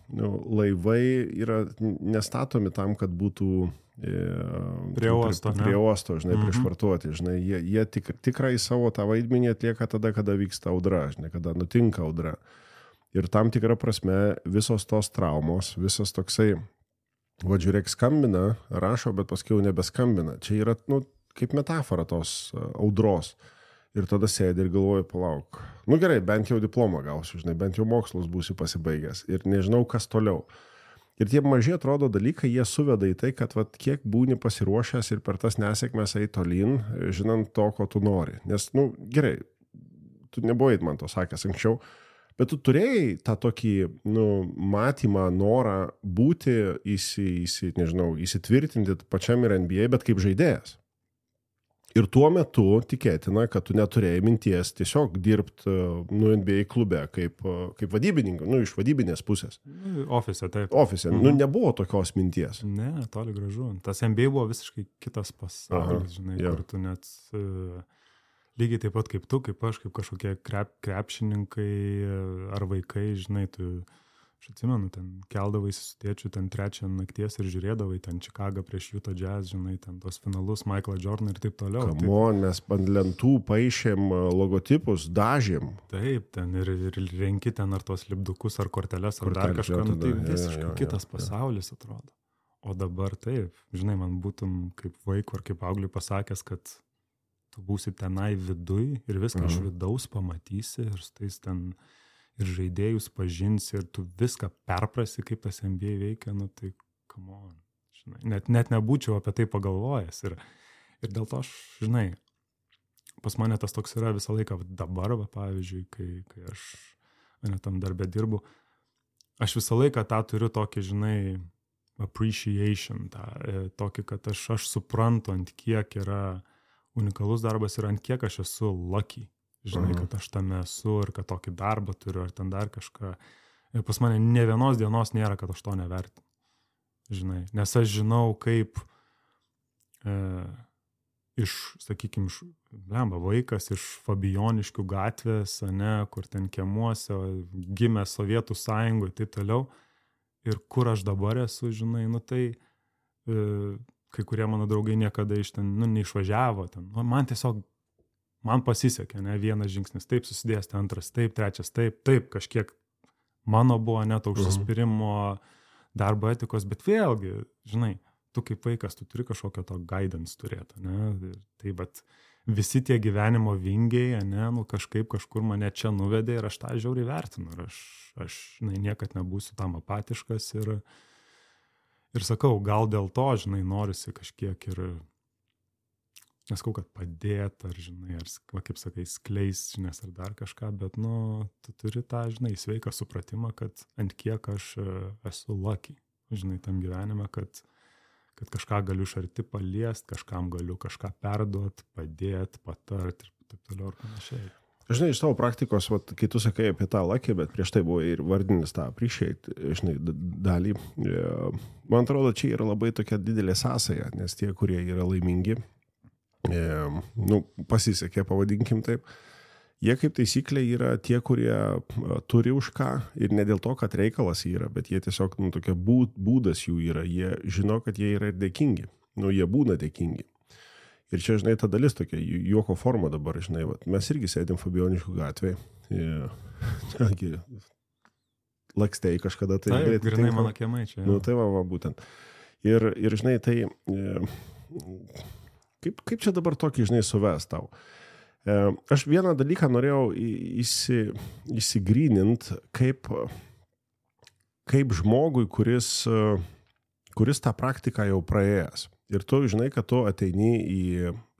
C: laivai yra nestatomi tam, kad būtų
D: prie
C: uosto, žinai, priešvartuoti, žinai, jie tikrai savo tą vaidmenį atlieka tada, kada vyksta audra, žinai, kada nutinka audra. Ir tam tikrą prasme visos tos traumos, visas toksai, žiūrėk, skambina, rašo, bet paskui jau nebeskambina. Čia yra, kaip metafora tos audros. Ir tada sėdi ir galvoju, palauk. Gerai, bent jau diplomą gausiu, žinai, bent jau mokslus būsiu pasibaigęs. Ir nežinau, kas toliau. Ir tie maži atrodo dalykai, jie suveda į tai, kad kiek būni pasiruošęs ir per tas nesėkmes eiti tolyn, žinant to, ko tu nori. Nes, gerai, tu nebuvai man to sakęs anksčiau, bet tu turėjai tą tokį, matymą, norą būti, įsitvirtinti pačiam ir NBA, bet kaip žaidėjas. Ir tuo metu tikėtina, kad tu neturėjai minties tiesiog dirbti NBA klube kaip vadybininkas, iš vadybinės pusės.
D: Ofise, taip.
C: Ofise. Nebuvo tokios minties.
D: Ne, toli gražu. Tas NBA buvo visiškai kitas pasaulis, žinai, kur tu net... Lygiai taip pat kaip tu, kaip aš, kaip kažkokie krepšininkai ar vaikai, žinai, aš atsimenu, ten keldavai su tėčiu ten 3 nakties ir žiūrėdavai ten Čikagą prieš Utah Jazz, žinai, ten tos finalus, Michaelą Jordaną ir taip toliau.
C: Mes ant lentų paišėm logotipus, dažėm.
D: Taip, ten ir renki ten ar tos lipdukus, ar korteles, ar dar kažką, tai visiškai kitas pasaulis atrodo. O dabar taip, žinai, man būtum kaip vaikų ar kaip augliui pasakęs, kad tu būsi tenai viduj ir viską iš vidaus pamatysi ir tais ten ir žaidėjus pažinsi ir tu viską perprasi, kaip tas NBA veikia, tai come on, žinai, net nebūčiau apie tai pagalvojęs ir dėl to aš, žinai, pas mane tas toks yra visą laiką dabar, pavyzdžiui, kai aš tam darbe dirbu, aš visą laiką tą turiu tokį, žinai, appreciation, tokį, kad aš suprantu, ant kiek yra unikalus darbas ir ant kiek aš esu lucky, žinai, kad aš tame esu ir kad tokį darbą turiu ar ten dar kažką. Ir pas mane ne vienos dienos nėra, kad aš to nevertinu, žinai, nes aš žinau, kaip sakykime, vaikas iš Fabijoniškių gatvės, ane, kur ten kiemuose, gimė Sovietų sąjungoje, taip toliau. Ir kur aš dabar esu, žinai, nu tai kai kurie mano draugai niekada iš ten, nu, neišvažiavo ten. Nu, man pasisekė, ne, vienas žingsnis taip susidės, antras taip, trečias taip, kažkiek mano buvo net užsispyrimo darbo etikos, bet vėlgi, žinai, tu kaip vaikas, tu turi kažkokio to guidance turėti, ne, tai bet visi tie gyvenimo vingiai, ne, nu kažkur mane čia nuvedė ir aš tą žiauriai vertinu ir aš žinai, niekad nebūsiu tam apatiškas ir sakau, gal dėl to, žinai, norisi kažkiek ir, neskau, kad padėt, ar, žinai, ar, kaip sakai, skleis žinias ar dar kažką, bet, nu, tu turi tą, žinai, sveiką supratimą, kad ant kiek aš esu lucky, žinai, tam gyvenime, kad kažką galiu iš arti paliest, kažkam galiu kažką perduot, padėt, patart ir taip toliau ir panašiai.
C: Žinai, iš tavo praktikos, vat, kai tu sakai apie tą lucky, bet prieš tai buvo ir vardinis tą appreciate, žinai, dalį. Man atrodo, čia yra labai tokia didelė sąsaja, nes tie, kurie yra laimingi, nu, pasisekė, pavadinkim taip, jie kaip taisyklė yra tie, kurie turi už ką ir ne dėl to, kad reikalas yra, bet jie tiesiog, nu, tokia būdas jų yra, jie žino, kad jie yra ir dėkingi, nu, jie būna dėkingi. Ir čia, žinai, ta dalis tokia, juoko forma dabar, žinai, vat, mes irgi sėdėm Fabijoniškių gatvėje, lakstei kažkada tai.
D: Taip, grinai mano kiemai čia.
C: Nu, tai va, būtent. Ir žinai, tai kaip čia dabar tokį, žinai, suves tau? Aš vieną dalyką norėjau įsigrynint, kaip žmogui, kuris tą praktiką jau praėjęs. Ir tu žinai, kad tu ateini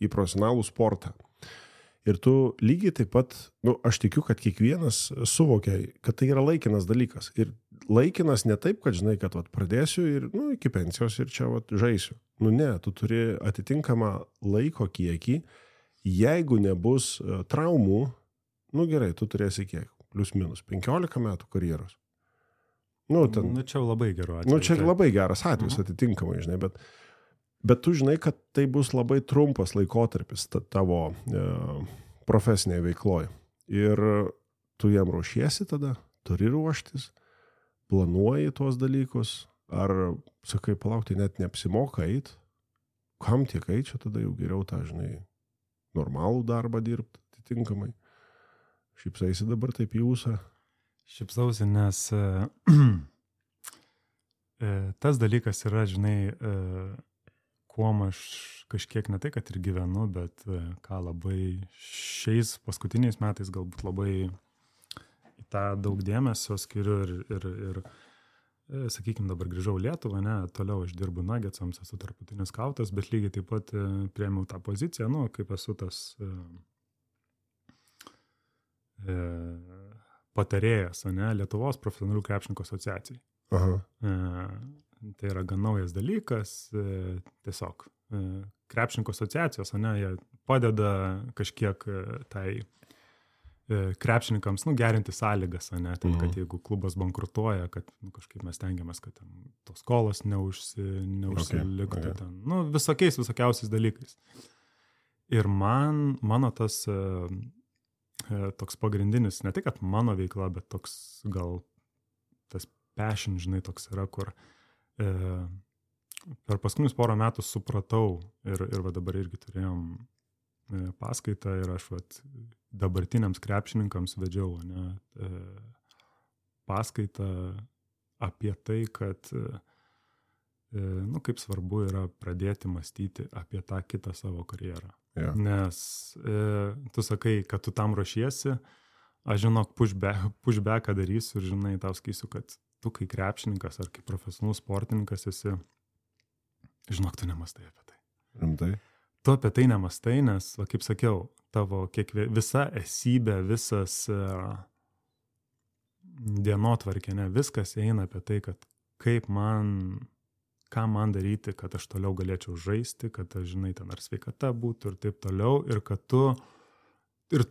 C: į profesionalų sportą. Ir tu lygiai taip pat, nu, aš tikiu, kad kiekvienas suvokia, kad tai yra laikinas dalykas. Ir laikinas ne taip, kad žinai, kad vat, pradėsiu ir, nu, iki pensijos ir čia vat, žaisiu. Nu ne, tu turi atitinkamą laiko kiekį. Jeigu nebus traumų, nu gerai, tu turėsi kiek? Plius minus 15 metų karjeros. Nu,
D: čia labai geru atveju.
C: Nu, čia labai geras atvejis atitinkamai, žinai, bet tu žinai, kad tai bus labai trumpas laikotarpis tavo profesinėje veikloje. Ir tu jam ruošiesi tada, turi ruoštis, planuoji tuos dalykus, ar, sakai, palaukti, net neapsimoka eit, kam tiek eit, čia tada jau geriau tą, žinai, normalų darbą dirbti atitinkamai. Šypsaisi dabar taip į ūsą?
D: Šypsausi, nes tas dalykas yra, žinai, kuom aš kažkiek ne tai, kad ir gyvenu, bet ką labai šiais paskutiniais metais galbūt labai į tą daug dėmesio skiriu ir sakykime, dabar grįžau Lietuvą, ne, toliau aš dirbu Nuggetsams, esu tarptautinis skautas, bet lygiai taip pat priėmiau tą poziciją, nu, kaip esu tas patarėjas, ne, Lietuvos profesionalių krepšininkų asociacijai. Tai yra gan naujas dalykas, tiesiog krepšininkų asociacijos, ne, jie padeda kažkiek tai krepšininkams, nu, gerinti sąlygas, ne, ten, kad jeigu klubas bankrutuoja, kad, nu, kažkaip mes tengiamės, kad ten tos skolos neužsiliktų, okay. Ten, nu, visokiausiais dalykais. Ir mano tas toks pagrindinis, ne tik, kad mano veikla, bet toks gal tas passion, žinai, toks yra, kur per paskutinius porą metų supratau ir va dabar irgi turėjom paskaitą ir aš vat dabartiniams krepšininkams vedžiau, ne, paskaitą apie tai, kad nu, kaip svarbu yra pradėti mąstyti apie tą kitą savo karjerą. Yeah. Nes tu sakai, kad tu tam ruošiesi, aš žinok, pushbacką darysiu ir žinai, tau sakysiu, kad tu kai krepšininkas ar kaip profesionalus sportininkas esi, žinok, tu nemastai apie tai.
C: Rimtai?
D: Tu apie tai nemastai, nes, va, kaip sakiau, tavo visa esybė, visas dienotvarkė, ne, viskas eina apie tai, kad ką man daryti, kad aš toliau galėčiau žaisti, kad aš, žinai, ten ar sveikata būtų ir taip toliau, ir kad tu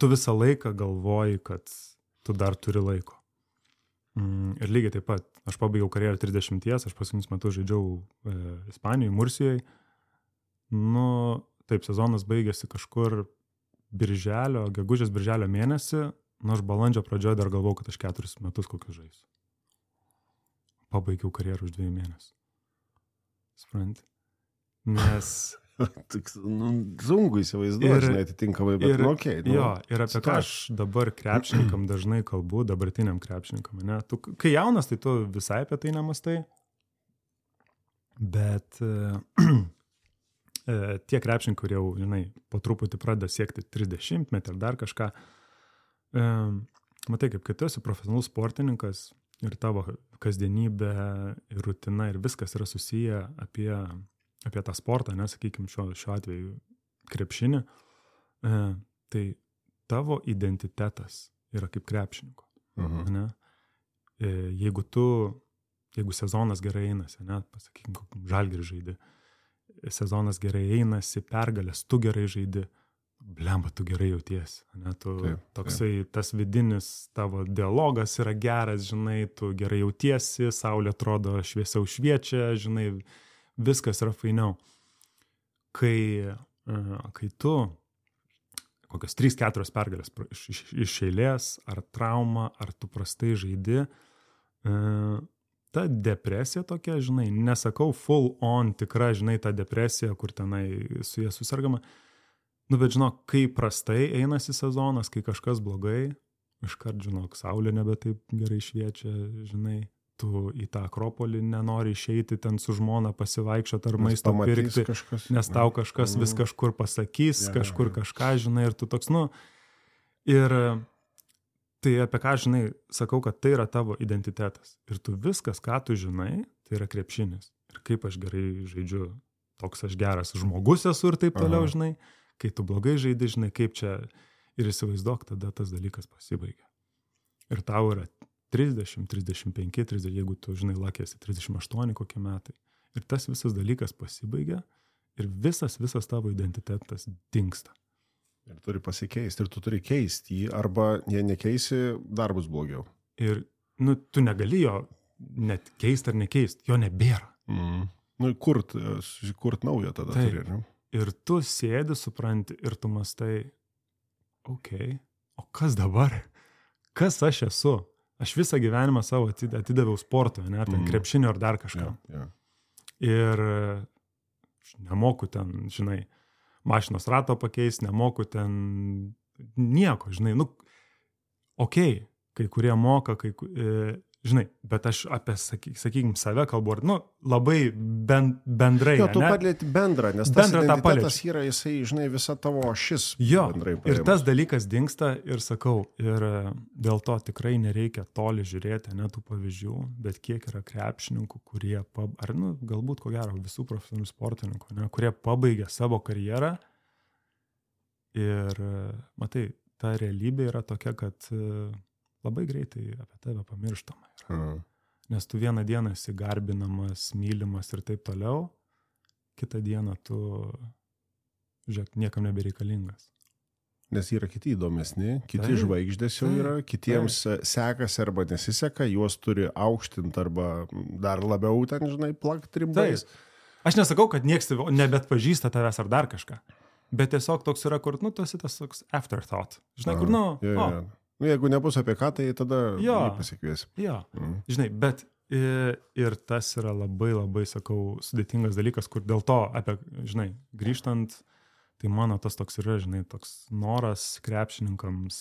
D: visą laiką galvoji, kad tu dar turi laiko. Ir lygiai taip pat, aš pabaigiau karjerą 30, aš paskutinius metus žaidžiau Ispanijoje, Mursijoje. Nu, taip, sezonas baigėsi kažkur gegužės birželio mėnesį, aš balandžio pradžioje dar galvau, kad aš 4 metus kokius žaisiu. Pabaigiau karjerą už 2 mėnesių. Supranti? Nes...
C: Sunku įsivaizduoti, atitinkamai, bet okei.
D: Jo, ir apie ką aš dabar krepšininkam dažnai kalbu, dabartiniam krepšininkam, ne? Tu, kai jaunas, tai tu visai apie tai nemastai, bet tie krepšininkai, kurie jau, žinai, po truputį pradeda siekti 30 metį ar dar kažką, matai, kaip kai tu esi profesionalus sportininkas ir tavo kasdienybė ir rutina ir viskas yra susiję apie tą sportą, nesakykime šiuo atveju krepšinį, tai tavo identitetas yra kaip krepšininko. Ne? Jeigu sezonas gerai einasi, ne, pasakykime, Žalgiris žaidži, sezonas gerai einasi, pergalės, tu gerai žaidži, blemba, tu gerai jautiesi. Ne, toksai tas vidinis tavo dialogas yra geras, žinai, tu gerai jautiesi, saulė atrodo šviesiau šviečia, žinai, viskas yra fainiau. Kai tu kokios 3-4 pergalės iš eilės, ar trauma, ar tu prastai žaidi, ta depresija tokia, žinai, nesakau full on tikra, žinai, ta depresija, kur tenai su jie susirgama, bet žinok, kai prastai einasi sezonas, kai kažkas blogai, iškart, žinok, saulė nebe taip gerai šviečia, žinai, tu į tą Akropolį nenori išeiti ten su žmona pasivaikščioti ar maisto pirkti, nes tau kažkas vis kažkur pasakys, kažkur kažką, žinai, ir tu toks, ir tai apie ką, žinai, sakau, kad tai yra tavo identitetas. Ir tu viskas, ką tu žinai, tai yra krepšinis. Ir kaip aš gerai žaidžiu, toks aš geras žmogus esu ir taip toliau, žinai, kai tu blogai žaidi, žinai, kaip čia ir įsivaizduok, tada tas dalykas pasibaigia. Ir tau yra 30, 35, 30, jeigu tu, žinai, lakėsi 38 kokie metai. Ir tas visas dalykas pasibaigia ir visas tavo identitetas dingsta.
C: Ir turi pasikeisti, ir tu turi keisti jį, arba jei nekeisi, dar bus blogiau.
D: Ir, tu negali jo net keisti ar nekeisti, jo nebėra.
C: Kurt naują tada turi, ne?
D: Ir tu sėdi, supranti, ir tu mastai, okei, o kas dabar? Kas aš esu? Aš visą gyvenimą savo atidaviau sportui, ne, ar ten krepšinio, ar dar kažką. Ir nemoku ten, žinai, mašinos rato pakeisti, nemoku ten nieko, žinai, okei, kai kurie moka, žinai, bet aš apie, sakykim, save kalbu, labai bendrai,
C: ne? Tu padėti bendrą, nes tas identitetas yra, jisai, žinai, visa tavo šis bendrai paėmus.
D: Ir tas dalykas dingsta ir sakau, ir dėl to tikrai nereikia toli žiūrėti, ne tų pavyzdžių, bet kiek yra krepšininkų, kurie, galbūt ko gero visų profesionalių sportininkų, ne, kurie pabaigia savo karjerą ir, matai, ta realybė yra tokia, kad labai greitai apie tave pamirštama yra. Nes tu vieną dieną esi garbinamas, mylimas ir taip toliau, kitą dieną tu, žiūrėk, niekam nebereikalingas.
C: Nes yra kiti įdomesni, kiti žvaigždės jau yra, kitiems sekasi arba nesiseka, juos turi aukštinti arba dar labiau ten, žinai, plakti rimbais.
D: Aš nesakau, kad nieks nebetpažįsta tavęs ar dar kažką, bet tiesiog toks yra, kur, tu esi tas toks afterthought. Žinai, kur,
C: jeigu nebus apie ką, tai tada pasikviesi.
D: Jo, žinai, bet ir tas yra labai, labai, sakau, sudėtingas dalykas, kur dėl to, žinai, grįžtant, tai mano tas toks yra, žinai, toks noras krepšininkams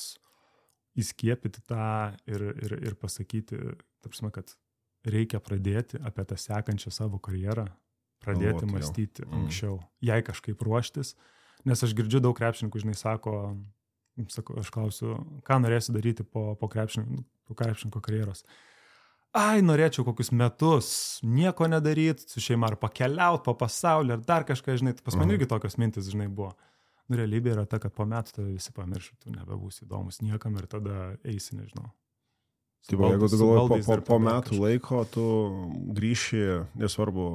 D: įskiepyti tą ir pasakyti, tapsime, kad reikia pradėti apie tą sekančią savo karjerą, pradėti mąstyti anksčiau, jai kažkaip ruoštis, nes aš girdžiu daug krepšininkų, žinai, sako, aš klausiu, ką norėsiu daryti po krepšininko karjeros. Norėčiau kokius metus nieko nedaryti, su šeima ar pakeliauti po pasaulį, ar dar kažką, žinai, pas man irgi tokios mintis, žinai, buvo. Realybė yra ta, kad po metų tave visi pamirši, tu nebebūsi įdomus niekam ir tada eisi, nežinau.
C: Jeigu tu galvoji, po metų laiko tu grįši, nesvarbu,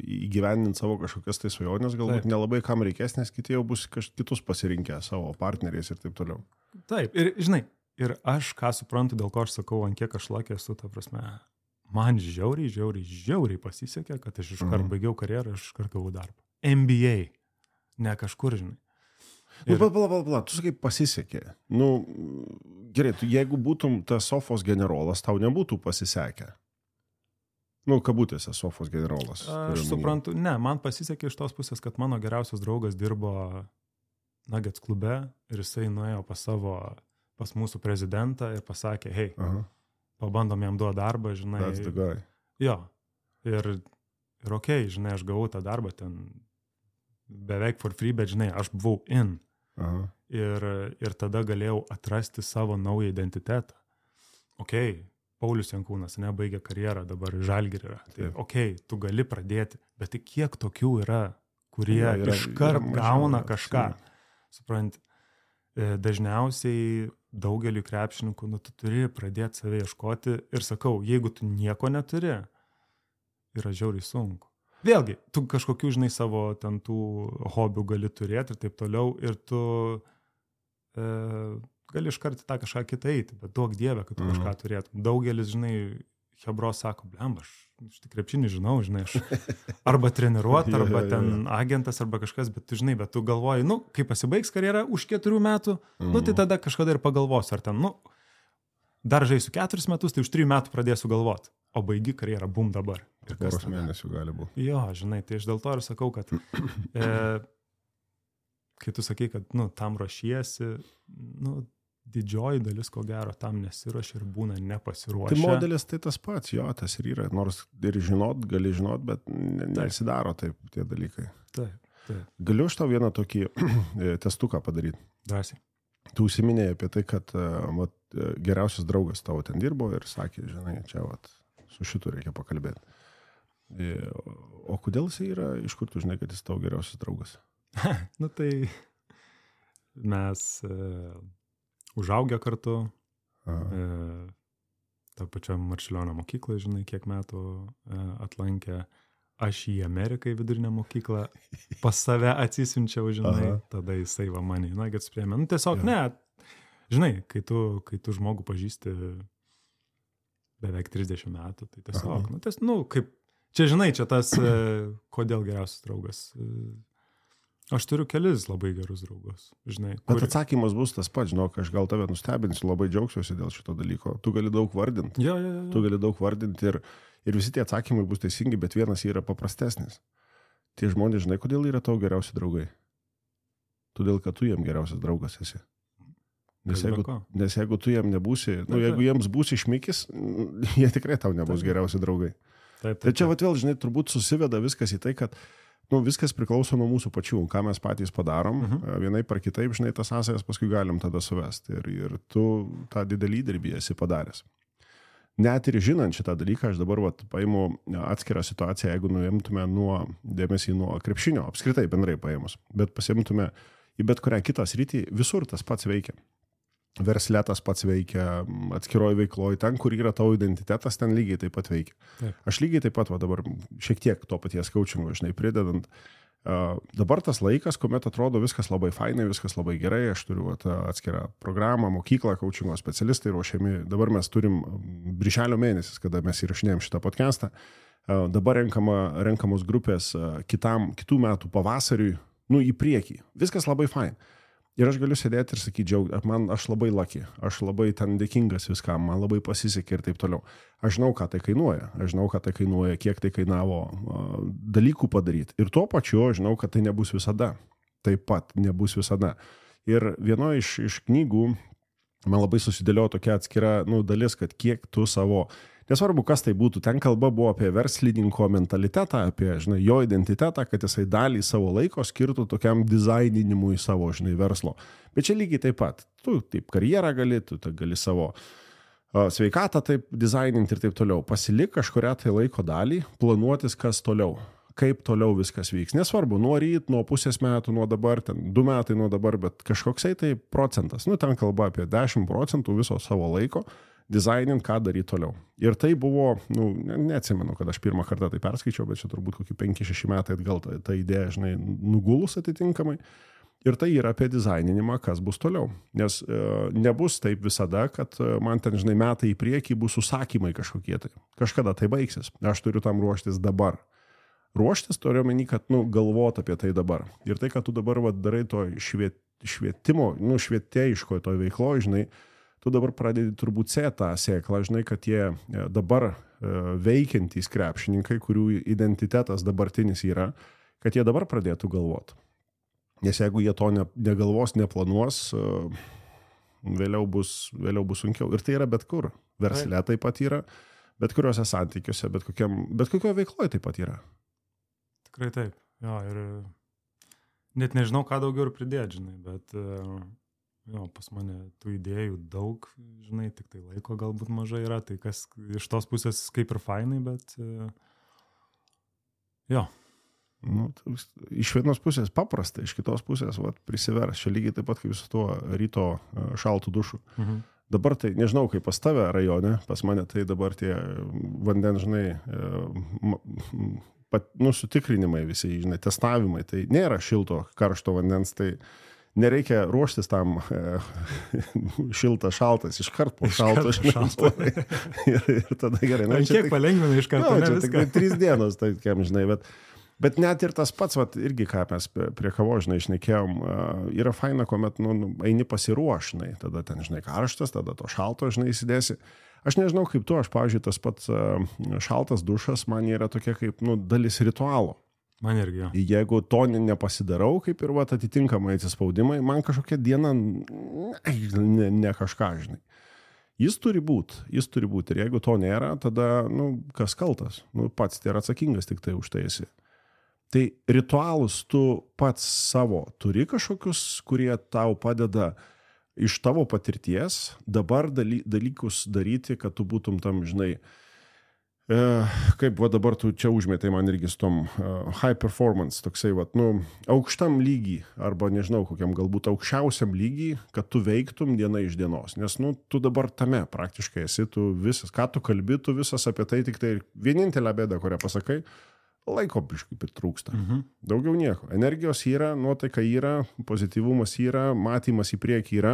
C: įgyvendinti savo kažkokias tai svajonės, galbūt nelabai kam reikės, nes kiti jau bus kitus pasirinkę savo partneriais ir taip toliau.
D: Taip, ir žinai, ir aš ką suprantu, dėl ko aš sakau, ant kiek aš lakė esu, ta prasme, man žiauriai pasisekė, kad aš iškart baigiau karjerą, aš iškart gavau darbą. NBA, ne kažkur, žinai.
C: Pala, tu sakai pasisekė. Nu, gerai, jeigu būtum tas sofos generolas, tau nebūtų pasisekę. Nu, kabutėse sofos generolas.
D: Aš suprantu, ne, man pasisekė iš tos pusės, kad mano geriausias draugas dirbo Nuggets klube ir jisai nuėjo pas mūsų prezidentą ir pasakė, hei, pabandom jam duoti darbą, žinai.
C: That's the guy.
D: Jo, ir okei, žinai, aš gavau tą darbą ten beveik for free, bet žinai, aš buvau in. Ir tada galėjau atrasti savo naują identitetą. Okei, Paulius Jankūnas, nebaigė karjerą, dabar Žalgirį yra. Tai okei, tu gali pradėti, bet tai kiek tokių yra, kurie iškart gauna kažką. Supranti, dažniausiai daugeliu krepšininkų, tu turi pradėti save ieškoti ir sakau, jeigu tu nieko neturi, yra žiauriai sunku. Vėlgi, tu kažkokių, žinai, savo ten tų hobių gali turėti ir taip toliau ir tu gali iškart tą kažką kitą eiti, bet duok dievę, kad tu kažką turėtum. Daugelis, žinai, hebros sako, blemba, aš tik krepšinį žinau, žinai, aš arba treniruot, arba ten agentas, arba kažkas, bet tu žinai, bet tu galvoji, nu, kai pasibaigs karjerą už 4 metų, nu, tai tada kažkada ir pagalvosiu, ar ten, nu, dar žaisiu 4 metus, tai už 3 metų pradėsiu galvoti, o baigi karjerą, bum dabar.
C: Ir poros mėnesių gali būti.
D: Jo, žinai, tai aš dėl to ir sakau, kad kai tu sakai, kad, nu, tam ruošiesi, nu, didžioji dalis, ko gero, tam nesiruošia ir būna nepasiruošę.
C: Tai modelis tai tas pats, jo, tas ir yra, nors ir žinot, gali žinot, bet nesidaro taip tie dalykai.
D: Taip.
C: Galiu aš tau vieną tokį testuką padaryti?
D: Drąsiai.
C: Tu užsiminėjai apie tai, kad geriausias draugas tavo ten dirbo ir sakė, žinai, čia su šitu reikia pakalbėti. O kodėl jis yra, iš kur tu žinai, kad jis tavo geriausias draugas?
D: Nu tai mes užaugę kartu, tą pačią Marčiulionio mokyklą, žinai, kiek metų atlankė. Aš į Ameriką į vidurinę mokyklą pas save atsisiunčiau, žinai, tada jisai va mane į Nuggets priėmė. Nu tiesiog ne, žinai, kai tu žmogų pažįsti beveik 30 metų, tai tiesiog, kaip, čia žinai, čia tas, kodėl geriausias draugas. Aš turiu kelis labai gerus draugus, žinai.
C: Bet atsakymas bus tas pats, žinok, aš gal tave nustebinsiu, labai džiaugsiuosi dėl šito dalyko. Tu gali daug vardinti.
D: Jo.
C: Tu gali daug vardinti ir visi tie atsakymai bus teisingi, bet vienas yra paprastesnis. Tie žmonės, žinai, kodėl yra tavo geriausi draugai? Todėl, kad tu jiem geriausias draugas esi. Nes jeigu tu jiem nebūsi, jeigu jiems būsi šmikis, jie tikrai tau nebus geriausi draugai. Tai čia vėl, žinai, turbūt susiveda viskas į tai, kad viskas priklauso nuo mūsų pačių, ką mes patys padarom, vienai par kitaip, žinai, tas sąsajas paskui galim tada suvesti ir tu tą didelį įdirbį esi padaręs. Net ir žinant šitą dalyką, aš dabar paimu atskirą situaciją, jeigu nuimtume dėmesį nuo krepšinio, apskritai bendrai paėmus, bet pasiimtume į bet kurią kitą sritį, visur tas pats veikia. Versle tas pats veikia, atskiroj veikloj, ten, kur yra tavo identitetas, ten lygiai taip pat veikia. Taip. Aš lygiai taip pat dabar šiek tiek to paties coachingo, žinai, pridedant. Dabar tas laikas, kuomet atrodo viskas labai fainai, viskas labai gerai, aš turiu atskirą programą, mokyklą, coachingo specialistai ruošiami. Dabar mes turim birželio mėnesis, kada mes įrašinėjom šitą podcastą. Dabar renkamos grupės kitų metų pavasariui, į priekį. Viskas labai fain. Ir aš galiu sėdėti ir sakyti, aš labai lucky, aš labai ten dėkingas viskam, man labai pasisekė ir taip toliau. Aš žinau, ką tai kainuoja, kiek tai kainavo dalykų padaryti. Ir tuo pačiu aš žinau, kad tai nebus visada. Taip pat nebus visada. Ir vienoje iš knygų man labai susidėliojo tokia atskira dalis, kad kiek tu savo... Nesvarbu, kas tai būtų, ten kalba buvo apie verslininko mentalitetą, apie, žinai, jo identitetą, kad jisai dalį savo laiko skirtų tokiam dizaininimui savo, žinai, verslo. Bet čia lygiai taip pat. Tu taip karjerą gali, tu gali savo sveikatą taip dizaininti ir taip toliau. Pasilik kažkurią tai laiko dalį, planuotis, kas toliau. Kaip toliau viskas vyks. Nesvarbu, nuo ryt, nuo pusės metų, nuo dabar, ten 2 metai nuo dabar, bet kažkoksai tai procentas. Ten kalba apie 10% viso savo laiko. Dizainint, ką daryti toliau. Ir tai buvo, neatsimenu, kad aš pirmą kartą tai perskaičiau, bet čia turbūt kokį 5-6 metai atgal ta idėja, žinai, nugulus atitinkamai. Ir tai yra apie dizaininimą, kas bus toliau. Nes nebus taip visada, kad man ten, žinai, metai į priekį bus užsakymai kažkokie tai. Kažkada tai baigsis. Aš turiu tam ruoštis dabar. Ruoštis turiu omeny, kad galvot apie tai dabar. Ir tai, kad tu dabar darai to švietimo, švietėjiškoje toj veikloje, žinai, tu dabar pradedi turbūt tą sėklą, žinai, kad tie dabar veikiantys krepšininkai, kurių identitetas dabartinis yra, kad jie dabar pradėtų galvoti. Nes jeigu jie to negalvos, neplanuos, vėliau bus sunkiau. Ir tai yra bet kur. Versle taip pat yra, bet kuriuose santykiuose, bet kokioje veikloje taip pat yra.
D: Tikrai taip. Jo, ir net nežinau, ką daugiau ir pridėti, žinai, bet pas mane tų idėjų daug, žinai, tik tai laiko galbūt mažai yra, tai kas iš tos pusės kaip ir fainai, bet jo.
C: Iš vienos pusės paprasta, iš kitos pusės prisivers. Čia lygiai taip pat kaip su tuo ryto šaltų dušu. Dabar tai, nežinau, kaip pas tave rajone, pas mane tai dabar tie vandens, žinai, sutikrinimai visi, žinai, testavimai, tai nėra šilto, karšto vandens, tai nereikia ruoštis tam šiltas, šaltas, iškart po šalto, žinai, ir tada gerai.
D: Kiek palengvina iškart,
C: ne viską? 3 dienos, tai kiam, žinai, bet net ir tas pats, irgi ką mes prie kavo, žinai, šnekėjom, yra faina, kuomet, eini pasiruošinai, tada ten, žinai, karštas, tada to šalto, žinai, įsidėsi. Aš nežinau, kaip tu, aš, pavyzdžiui, tas pats šaltas dušas man yra tokia kaip, dalis ritualo.
D: Man irgi, jo.
C: Jeigu to nepasidarau, kaip ir atitinkamai atsispaudimai, man kažkokia diena ne kažką, žinai. Jis turi būti. Ir jeigu to nėra, tada, kas kaltas? Pats tai yra atsakingas tik tai už tai esi. Tai ritualus tu pats savo turi kažkokius, kurie tau padeda iš tavo patirties dabar dalykus daryti, kad tu būtum tam, žinai, kaip dabar tu čia užmėtai man irgi su tom high performance, toksai, aukštam lygį, arba nežinau, kokiam galbūt aukščiausiam lygį, kad tu veiktum diena iš dienos. Nes, tu dabar tame praktiškai esi, tu visas, ką tu kalbi, tu visas apie tai, tik tai vienintelę bėdą, kurią pasakai, laiko biškai pritrūksta. Daugiau nieko. Energijos yra, nuotaika yra, pozityvumas yra, matymas į priekį yra,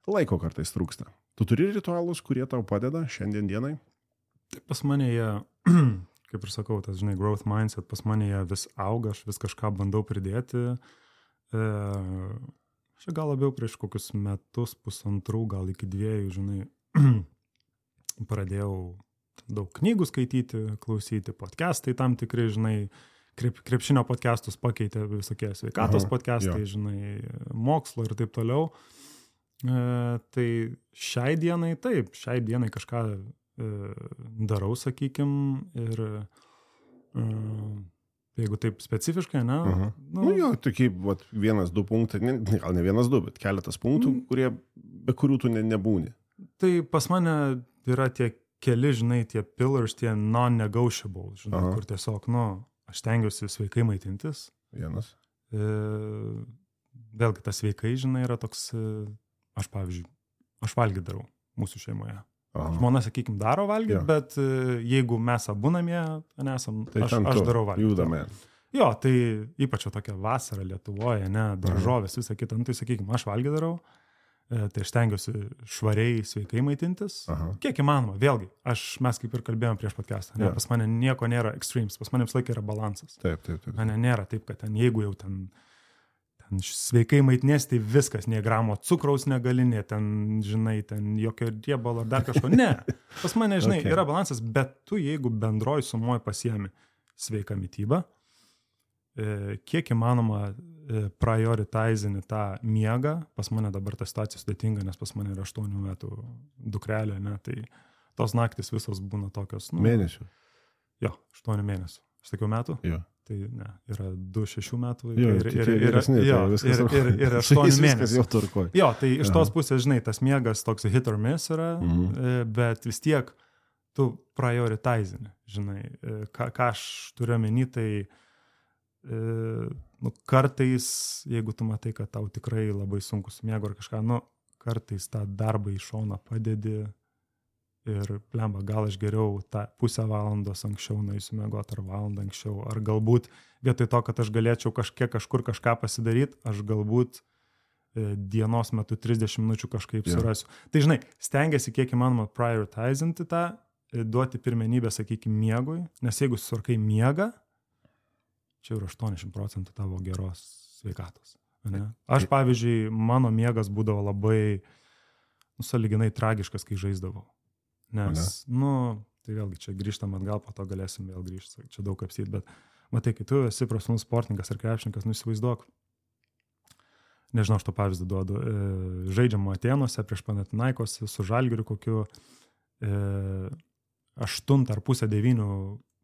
C: laiko kartais trūksta. Tu turi ritualus, kurie tau padeda šiandien dienai?
D: Tai pas mane jie, kaip ir sakau, tas, žinai, growth mindset, pas mane jie vis auga, aš vis kažką bandau pridėti. Aš gal labiau prieš kokius metus, 1,5, gal iki 2, žinai, pradėjau daug knygų skaityti, klausyti, podcastai tam tikrai, žinai, krepšinio podcastus pakeitė visokie sveikatos podcastai, žinai, mokslo ir taip toliau. Tai šiai dienai kažką darau, sakykim, ir jeigu taip specifiškai, ne?
C: Jo, tokie 1-2 punktai, gal ne 1-2, bet keletas punktų, be kurių tu nebūni.
D: Tai pas mane yra tie keli, žinai, tie pillars, tie non-negotiable, žinai, kur tiesiog, aš stengiuosi sveikai maitintis.
C: Vienas.
D: Vėlgi, tas sveikai, žinai, yra toks, aš valgyt darau mūsų šeimoje. Žmona, sakykim, daro valgyti, bet jeigu mes abu namie nesam,
C: tai
D: aš darau valgyti.
C: Judame.
D: Jo, tai ypač tokia vasara Lietuvoje, ne, daržovės, visą kitą, tai sakykim, aš valgyti darau. Tai aš stengiuosi švariai, sveikai maitintis. Kiek įmanoma, vėlgi, mes kaip ir kalbėjom prieš podcastą, pas mane nieko nėra extremes, pas mane visą laiką yra balansas.
C: Taip.
D: Mane nėra taip, kad jeigu jau ten sveikai maitinės, tai viskas, nė gramo cukraus negali, žinai, jokio riebalo ar dar kažko. Ne, pas mane, žinai, yra balansas, bet tu, jeigu bendroj sumoj pasiemi sveiką mitybą, kiek įmanoma prioritizini tą miegą, pas mane dabar ta situacija sudėtinga, nes pas mane yra 8 metų dukrelė, ne, tai tos naktis visos būna tokios.
C: Mėnesių?
D: Jo, 8 mėnesių. Aš sakiau metų?
C: Jo.
D: Tai ne, yra 2-6 metų
C: ir
D: 8 mėnesių.
C: Jo,
D: tai iš tos pusės, žinai, tas miegas toks hit or miss yra, bet vis tiek tu prioritizini, žinai, ką aš turiu omeny, tai kartais, jeigu tu matai, kad tau tikrai labai sunku su miegu ar kažką, kartais tą darbą į šoną padedi ir blemba, gal aš geriau tą pusę valandos anksčiau nueisiu miegoti ar valandą anksčiau, ar galbūt vietoj to, kad aš galėčiau kažkur kažką pasidaryti, aš galbūt dienos metu 30 minučių kažkaip surasiu. Tai žinai, stengiasi kiek įmanoma prioritizinti tą, duoti pirmenybę, sakykime, miegui, nes jeigu susurkai miegą, čia yra 80% tavo geros sveikatos. Ne? Aš, pavyzdžiui, mano miegas būdavo labai, sąlyginai tragiškas, kai žaisdavau. Nes, tai vėlgi čia grįžtam atgal, po to galėsim vėl grįžti, čia daug apsyti, bet matai, kai tu esi profesionalus sportininkas ar krepšininkas, įsivaizduok, nežinau, aš to pavyzdį duodu, žaidžiam Atėnuose prieš Panathinaikos su Žalgiriu kokiu 8 ar pusę 9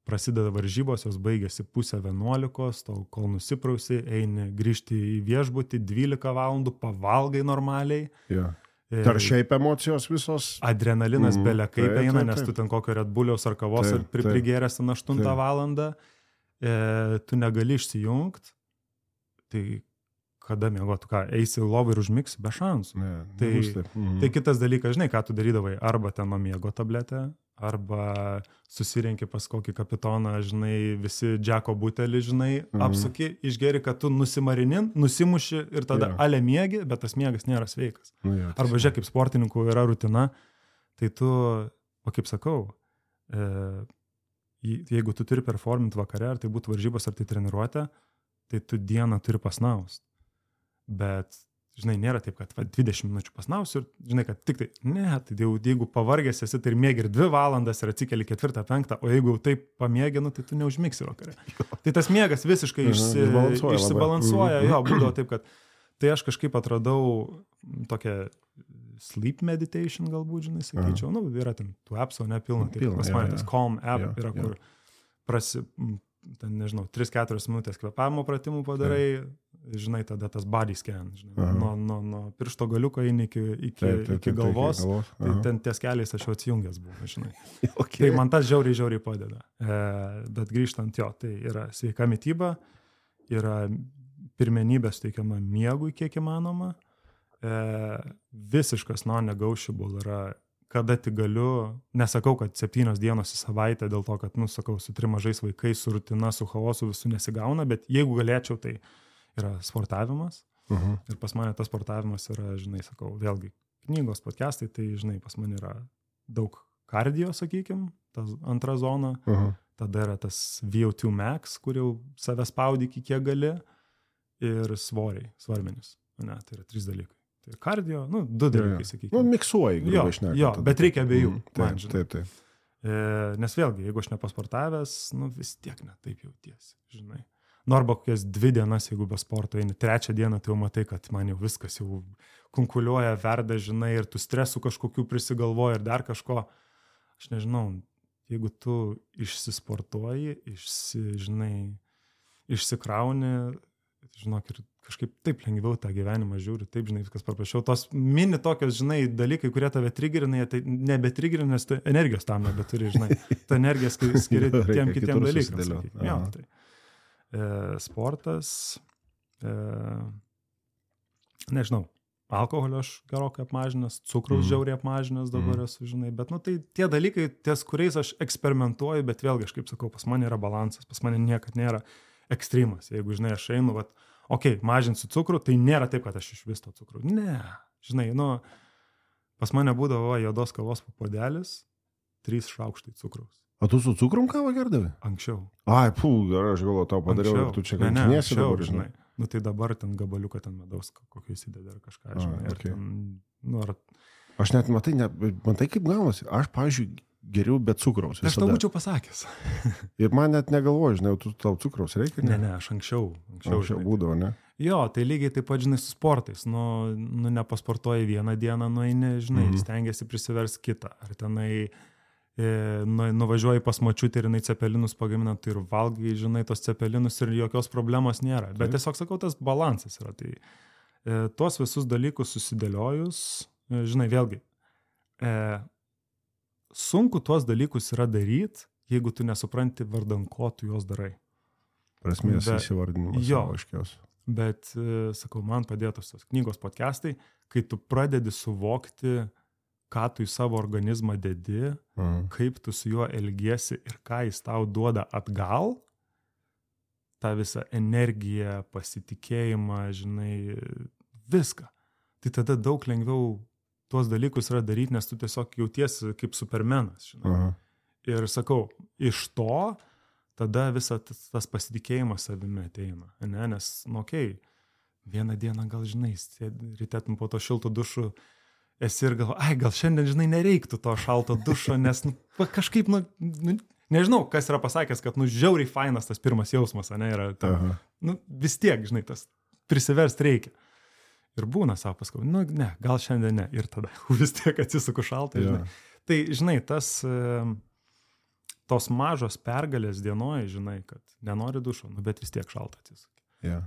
D: prasideda varžybos, jos baigėsi 10:30, tol kol nusiprausi, eini grįžti į viešbutį 12 valandų, pavalgai normaliai.
C: Ja. Ar šiaip emocijos visos?
D: Adrenalinas belia kaip eina, nes tu ten kokio Red Bulliaus ar kavos prigeręs 8 valandą, tu negali išsijungti, tai kada miegotų, eisi į lovą ir užmigsi be šansų. Tai kitas dalykas, žinai, ką tu darydavai, arba ten nuo miego tabletę, arba susirenki pas kokį kapitoną, žinai, visi džeko butelį, žinai, apsuki, išgeri, kad tu nusimuši ir tada ale miegi, bet tas miegas nėra sveikas. Arba žiūrėk, kaip sportininkų yra rutina, tai tu, kaip sakau, jeigu tu turi performinti vakare, ar tai būtų varžybos, ar tai treniruotė, tai tu dieną turi pasnaust. Bet, žinai, nėra taip, kad 20 minučių pasnausiu ir, žinai, kad tik tai, tai jeigu pavargęs esi, tai ir miegi ir 2 valandas ir atsikeli 4-5, o jeigu taip pamiegi, tai tu neužmigsi vakare. Tai tas miegas visiškai išsibalansuoja, būdavo taip, kad tai aš kažkaip atradau tokią sleep meditation galbūt, žinai, sakyčiau, yra ten tų appsų, nepilna, tai pas mane tas Calm app yra, kur ten, nežinau, 3-4 minutės kvėpavimo pratimų padarai, žinai, tada tas body scan, žinai, nuo piršto galiuko eini iki galvos, tai ten ties keliais aš jau atsijungęs buvau, žinai. Tai man tas žiauriai padeda. Bet grįžtant tai yra sveika mityba, yra pirmenybė suteikiama miegui kiek įmanoma, visiškas non-negotiable yra kada tik galiu, nesakau, kad 7 dienos į savaitę dėl to, kad, sakau, su 3 mažais vaikais, su rutina, su chaosu visų nesigauna, bet jeigu galėčiau, tai yra sportavimas. Ir pas mane tas sportavimas yra, žinai, sakau, vėlgi knygos, podcastai, tai, žinai, pas mane yra daug kardio, sakykim, tas antra zona, tada yra tas VO2 max, kur jau save spaudi iki kiek gali, ir svarmenis. Tai yra 3 dalykai. Tai kardio, 2 dalykai, sakykime.
C: Miksuoji, grubiai šnekant.
D: Jo, bet reikia abiejų.
C: Taip.
D: Nes vėlgi, jeigu aš nepasportavęs, vis tiek ne taip jautiesi, žinai. Arba kokias 2 dienas, jeigu be sporto eini, 3 dieną tai jau matai, kad man jau viskas jau kunkuliuoja, verda, žinai, ir tu stresų kažkokių prisigalvoji ir dar kažko. Aš nežinau, jeigu tu išsisportuoji, išsikrauni, žinok, ir kažkaip taip lengviau tą gyvenimą žiūri, taip, žinai, viskas paprasčiau. Tos mini tokios, žinai, dalykai, kurie tave trigerina, tai nebetrigerina, nes tu energijos tam nebeturi, žinai. Ta energija skiri tiem kitiem dalykams. Sportas, nežinau, alkoholio aš gerokai apmažinęs, cukraus žiauriai apmažinęs dabar esu, žinai, bet, tai tie dalykai, ties kuriais aš eksperimentuoju, bet vėlgi, aš kaip sakau, pas mane yra balansas, pas mane niekad nėra ekstremas. Jeigu, žinai, aš einu, mažinsiu cukrų, tai nėra taip, kad aš iš vis to cukrų. Ne, žinai, pas mane būdavo juodos kavos puodelis, 3 šaukštai cukraus.
C: O tu su cukrum kavą gerdavai?
D: Anksčiau.
C: Ai, gerai, aš galvoju, tau padariau, ir tu čia kankinėsi dabar, žinai.
D: Tai dabar ten gabaliuką ten medaus kokį įsideda ar kažką, žinai.
C: Aš net, matai kaip gaunasi. Aš, pavyzdžiui, geriau be cukraus.
D: Aš tau būčiau pasakęs.
C: Ir man net negalvoju, žinai, tau cukraus reikia?
D: Ne, aš anksčiau
C: būdavo, ne?
D: Jo, tai lygiai taip pat, žinai, su sportais. Nepasportuoji vieną dieną, nueini, žinai, stengiasi prisivers kitą. Ar tenai nuvažiuoji pas močiutę ir jinai cepelinus pagamina, tai ir valgai, žinai, tos cepelinus ir jokios problemos nėra. Bet tiesiog, sakau, tas balansas yra. Tai tuos visus dalykus susidėliojus, žinai, vėlgi, sunku tuos dalykus yra daryti, jeigu tu nesupranti vardan ko tu juos darai.
C: Prasmės įsivardinimas.
D: Jo, bet, sakau, man padėtos tos knygos podcastai, kai tu pradedi suvokti, ką tu į savo organizmą dedi, kaip tu su juo elgiesi ir ką jis tau duoda atgal, tą visą energiją, pasitikėjimą, žinai, viską. Tai tada daug lengviau tuos dalykus yra daryti, nes tu tiesiog jautiesi kaip supermenas, žinai. Ir sakau, iš to tada visas tas pasitikėjimas savimi ateina, ne? Nes, vieną dieną gal, žinai, ryte po to šilto dušų esi ir gal šiandien, žinai, nereiktų to šalto dušo, nes kažkaip, nežinau, kas yra pasakęs, kad, žiauriai fainas tas pirmas jausmas, ne, yra, vis tiek, žinai, tas prisiverst reikia. Ir būna savo paskui, ne, gal šiandien ne, ir tada vis tiek atsisuku šaltai, žinai. Tai, žinai, tos mažos pergalės dienoj, žinai, kad nenori dušo, bet vis tiek šalta atsisuki.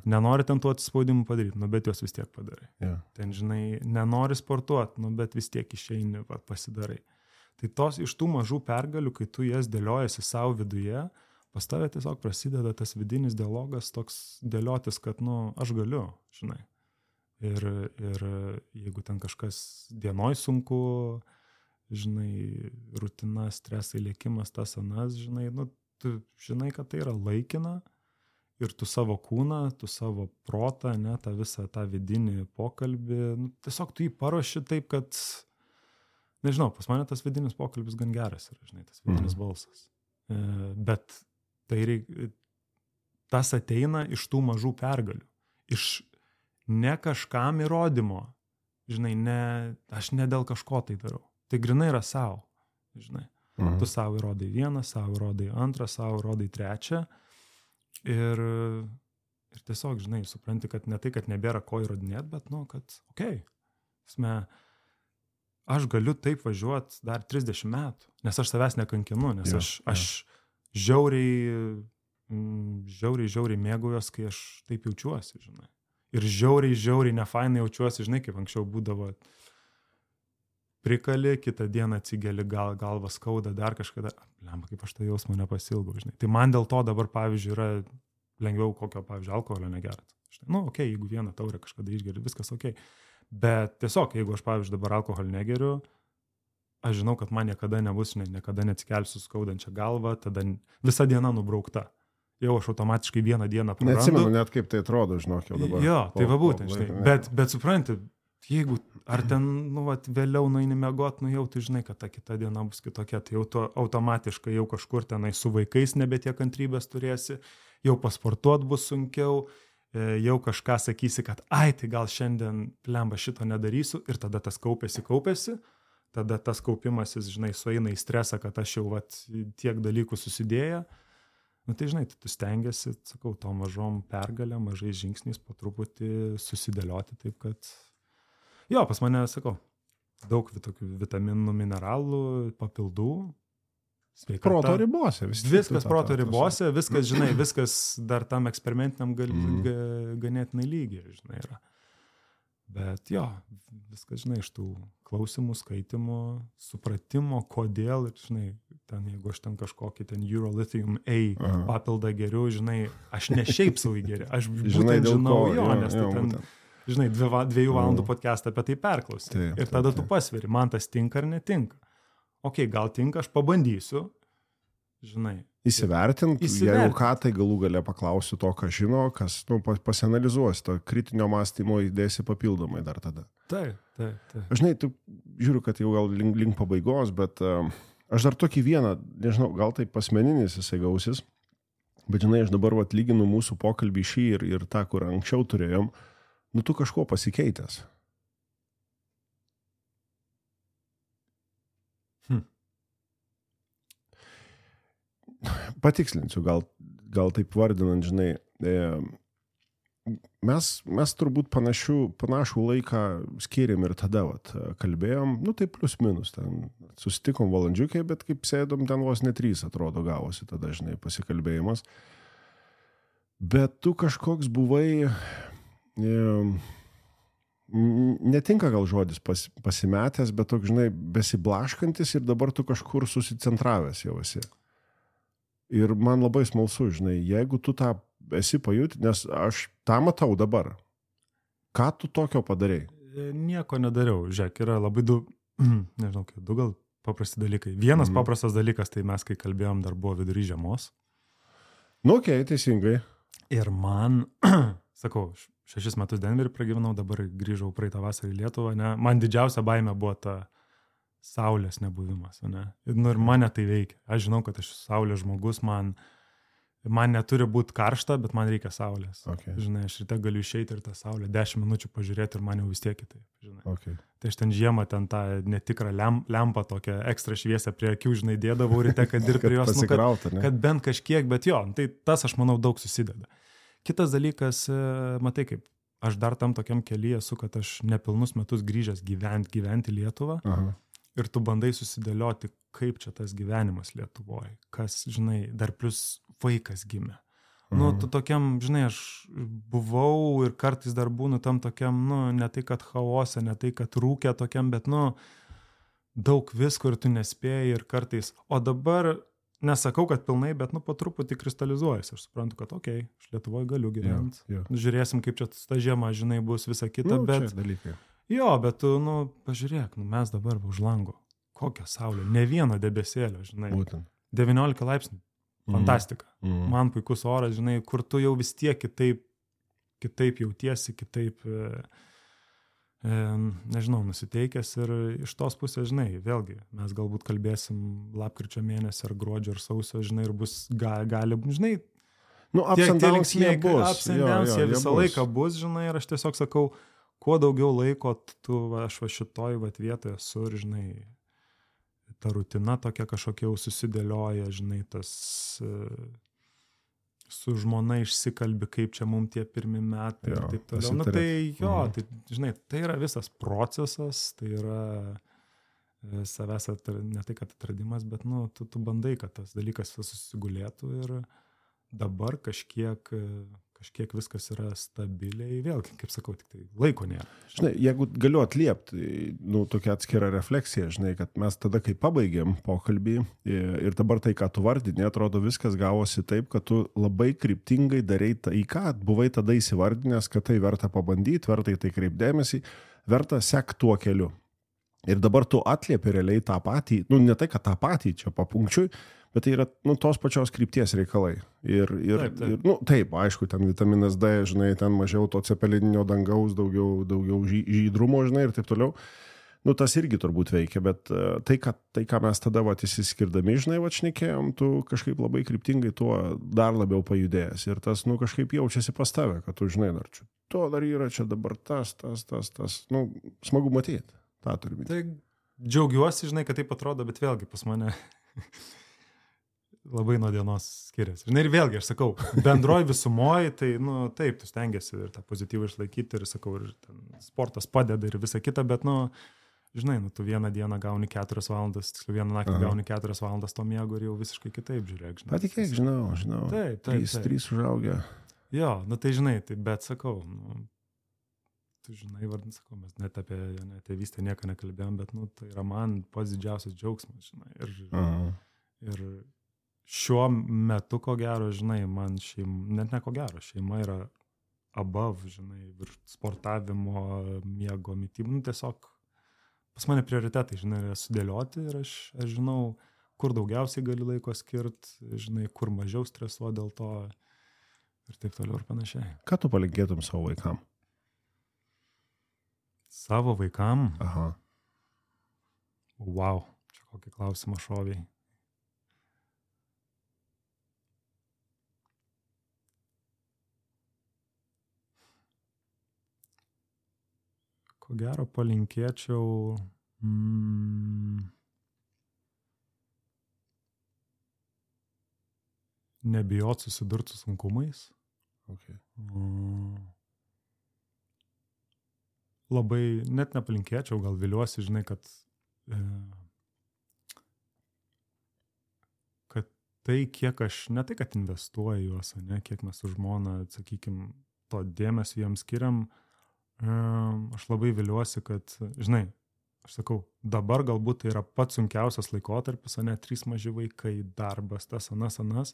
D: Nenori ten tų atsispaudimų padaryti, bet juos vis tiek padarai. Ten, žinai, nenori sportuoti, bet vis tiek išeini, pasidarai. Tai iš tų mažų pergalių, kai tu jas dėliojasi savo viduje, pas tave tiesiog prasideda tas vidinis dialogas toks dėliotis, kad, aš galiu, žinai. Ir jeigu ten kažkas dienoj sunku, žinai, rutina, stresai, lėkimas, tas anas, žinai, tu žinai, kad tai yra laikina. Ir tu savo kūną, tu savo protą, ne, tą visą tą vidinį pokalbį, tiesiog tu jį paruoši taip, kad, nežinau, pas mane tas vidinis pokalbis gan geras yra, žinai, tas vidinis balsas. Bet tas ateina iš tų mažų pergalių, iš ne kažkam įrodymo, žinai, aš ne dėl kažko tai darau, tai grinai yra savo, žinai, tu savo įrodai vieną, savo įrodai antrą, savo įrodai trečią. Ir tiesiog, žinai, supranti, kad ne tai, kad nebėra ko įrodinėti, bet, kad, aš galiu taip važiuoti dar 30 metų, nes aš savęs nekankinu, nes aš žiauriai mėgaujos, kai aš taip jaučiuosi, žinai. Ir žiauriai nefainai jaučiuosi, žinai, kaip anksčiau būdavo prikali, kitą dieną atsigeli, galva skauda, dar kažkada, kaip aš tą jausmą nepasilgau, žinai. Tai man dėl to dabar, pavyzdžiui, yra lengviau kokio, pavyzdžiui, alkoholio negerat. Okei, jeigu vieną taurę kažkada išgeri, viskas okei. Bet tiesiog, jeigu aš, pavyzdžiui, dabar alkoholį negeriu, aš žinau, kad man niekada nebus, niekada neatsikelsiu skaudančią galvą, tada visa diena nubraukta. Jau aš automatiškai vieną dieną prarandu.
C: Neatsimenu net kaip tai atrodo, žinok, jau dabar.
D: Jo, tai va būtent, žinai. Bet supranti, jeigu ar ten, vėliau nueini miegot, jau tu žinai, kad ta kita diena bus kitokia, tai jau tu automatiškai jau kažkur tenai su vaikais nebetiek kantrybės turėsi, jau pasportuot bus sunkiau, jau kažką sakysi, kad tai gal šiandien plemba šito nedarysiu ir tada tas kaupėsi, tada tas kaupimasis, žinai, sueina į stresą, kad aš jau tiek dalykų susidėję. Tai žinai, tu stengiasi, sakau, to mažom pergalėm, mažais žingsniais po truputį susidėlioti taip, kad jo, pas mane, sakau, daug tokių vitaminų, mineralų, papildų, sveikata.
C: Proto ribose.
D: Viskas proto ribose, viskas, žinai, viskas dar tam eksperimentiniam ganėtinai lygiai, žinai, yra. Bet jo, viskas, žinai, iš tų klausimų, skaitimų, supratimo, kodėl, ir, žinai, ten, jeigu aš ten kažkokį ten Eurolithium A papildą geriu, žinai, aš ne šiaip savo įgeriu, aš būtent žinau jo, nes tai ten, žinai, 2 valandų podcastą apie tai perklausi. Ir tada tu pasveri, man tas tinka ar netinka. Okei, gal tinka, aš pabandysiu, žinai.
C: Įsivertint, jeigu ką, tai galų gale paklausiu to, ką žino, kas pasianalizuosi, to kritinio mąstymo įdėsi papildomai dar tada.
D: Taip.
C: Žinai, tu žiūriu, kad jau gal link pabaigos, bet aš dar tokį vieną, nežinau, gal tai asmeninis jisai gausis, bet žinai, aš dabar lyginu mūsų pokalbį šį ir tą, kur anksčiau turėjom, tu kažko pasikeitęs. Patikslinsiu, gal taip vardinant, žinai, mes turbūt panašų laiką skiriam ir tada, kalbėjom, tai plius minus, ten susitikom valandžiukai, bet kaip sėdom, ten vos ne 3 atrodo gavosi tada, žinai, pasikalbėjimas. Bet tu kažkoks buvai, netinka gal žodis pasimetęs, bet toks, žinai, besiblaškantis ir dabar tu kažkur susicentravęs jau esi. Ir man labai smalsu, žinai, jeigu tu tą esi pajuti, nes aš tą matau dabar. Ką tu tokio padarei?
D: Nieko nedariau. Žiūrėk, yra labai du gal paprasti dalykai. Vienas paprastas dalykas, tai mes, kai kalbėjom, dar buvo vidury žiemos.
C: Okei, teisingai.
D: Ir man, sakau, 6 metus Denverį pragyvenau, dabar grįžau praeitą vasarą į Lietuvą, ne? Man didžiausia baimė buvo ta saulės nebuvimas, ne? Ir mane tai veikia. Aš žinau, kad aš saulės žmogus, man Man neturi būti karšta, bet man reikia saulės.
C: Okay.
D: Žinai, aš ryte galiu išeiti ir tą saulę 10 minučių pažiūrėti ir man jau vis tiek kitaip. Žinai.
C: Okay.
D: Tai aš ten žiemą ten tą netikrą lempą tokią ekstra šviesę prie akių, žinai, dėdavau ryte, kad dirbti prie jos. Kad bent kažkiek, bet jo, tai tas, aš manau, daug susideda. Kitas dalykas, matai, kaip aš dar tam tokiam kelyje esu, kad aš nepilnus metus grįžęs gyventi Lietuvą. Aha. Ir tu bandai susidėlioti, kaip čia tas gyvenimas Lietuvoje. Kas, žinai, dar plus vaikas gimė. Nu, tu tokiam, žinai, aš buvau ir kartais dar būnu tam tokiam, nu, ne tai, kad chaose, ne tai, kad rūkė tokiam, bet, nu, daug visko ir tu nespėjai ir kartais. O dabar nesakau, kad pilnai, bet, nu, po truputį kristalizuojasi. Aš suprantu, kad, okei, aš Lietuvoje galiu gyventi. Žiūrėsim, kaip čia ta žiema, žinai, bus visa kita, bet... Jo, bet tu, nu, pažiūrėk, nu, mes dabar už lango. Kokia saulė, ne vieno debesėlio, žinai. Būtent. 19 laipsnių, fantastika. Man puikus oras, žinai, kur tu jau vis tiek kitaip jautiesi, kitaip, nežinau, nusiteikęs ir iš tos pusės, žinai, vėlgi, mes galbūt kalbėsim lapkričio mėnesį ar gruodžio ar sausio, žinai, ir bus gali, žinai,
C: nu, ups and downs jie bus.
D: Jie visą laiką bus, žinai, ir aš tiesiog sakau, kuo daugiau laiko aš šitoj vietoje esu ir, žinai, ta rutina tokia kažkokia jau susidėlioja, žinai, tas su žmona išsikalbi, kaip čia mums tie pirmi metai ir taip toliau. Nu, tai jo, tai, žinai, tai yra visas procesas, tai yra savęs, ne tai, kad atradimas, bet, nu, tu bandai, kad tas dalykas susigulėtų ir dabar kažkiek viskas yra stabiliai, vėlgi, kaip sakau, tik tai laiko nėra.
C: Žinai, jeigu galiu atliepti, nu, tokia atskira refleksija, žinai, kad mes tada, kai pabaigėm pokalbį ir dabar tai, ką tu vardinė, atrodo viskas gavosi taip, kad tu labai kryptingai darai tai, ką buvai tada įsivardinęs, kad tai verta pabandyti, verta į tai kreipdėmėsi, verta sek tuo keliu. Ir dabar tu atliepi realiai tą patį, nu, ne tai, kad tą patį čia papunkčiui, bet tai yra, nu, tos pačios krypties reikalai. Ir nu, taip, aišku, ten vitaminas D, žinai, ten mažiau to cepelininio dangaus, daugiau žydrumo, žinai, ir taip toliau. Nu, tas irgi turbūt veikia, bet tai, ką mes tada įsiskirdami, žinai, šnekėjom, tu kažkaip labai kryptingai tuo dar labiau pajudėjęs. Ir tas, nu, kažkaip jaučiasi pas tave, kad tu, žinai, dar čia, to dar yra, čia dabar tas. Nu, smagu matyti. Ta turi būti.
D: Tai džiaugiuosi, žinai, kad taip atrodo, bet vėlgi pas mane labai nuo dienos skiriasi. Žinai, ir vėlgi, aš sakau, bendroj visumoje, tai, nu, taip, tu stengiasi ir tą pozityvą išlaikyti, ir, sakau, ir ten sportas padeda ir visa kita, bet, nu, žinai, nu, tu vieną dieną gauni 4 valandas, tiksliau vieną naktį gauni 4 valandas to miego ir jau visiškai kitaip žiūrėk, žinai.
C: Patikėk, žinau.
D: Taip.
C: 3 užaugę.
D: Jo, nu, tai, žinai, tai, bet, sakau, nu, tu žinai, vardin, sakau, mes net apie tėvystę nieko nekalbėjom, bet, nu, tai yra man pats didžiausias džiaugsmas, žinai. Ir šiuo metu, ko gero, žinai, man net ne ko gero, šeima yra above, žinai, virš sportavimo, miego, mitybų, nu, tiesiog pas mane prioritetai, žinai, yra sudėlioti ir aš žinau, kur daugiausiai gali laiko skirti, žinai, kur mažiau stresuo dėl to ir taip toliau ir panašiai.
C: Ką tu palinkėtum savo vaikam?
D: Savo vaikam?
C: Aha.
D: Wow, čia kokį klausimą šoviai. Ko gero palinkėčiau nebijot susidurti su sunkumais.
C: Okay.
D: Labai, net nepalinkėčiau, gal viliuosi, žinai, kad tai, kiek aš, ne tai, kad investuoju juos, ne, kiek mes su žmona, sakykim, to dėmesio jiems skiriam, aš labai viliuosi, kad, žinai, aš sakau, dabar galbūt tai yra pats sunkiausias laikotarpis, ne, 3 maži vaikai, darbas, tas, anas,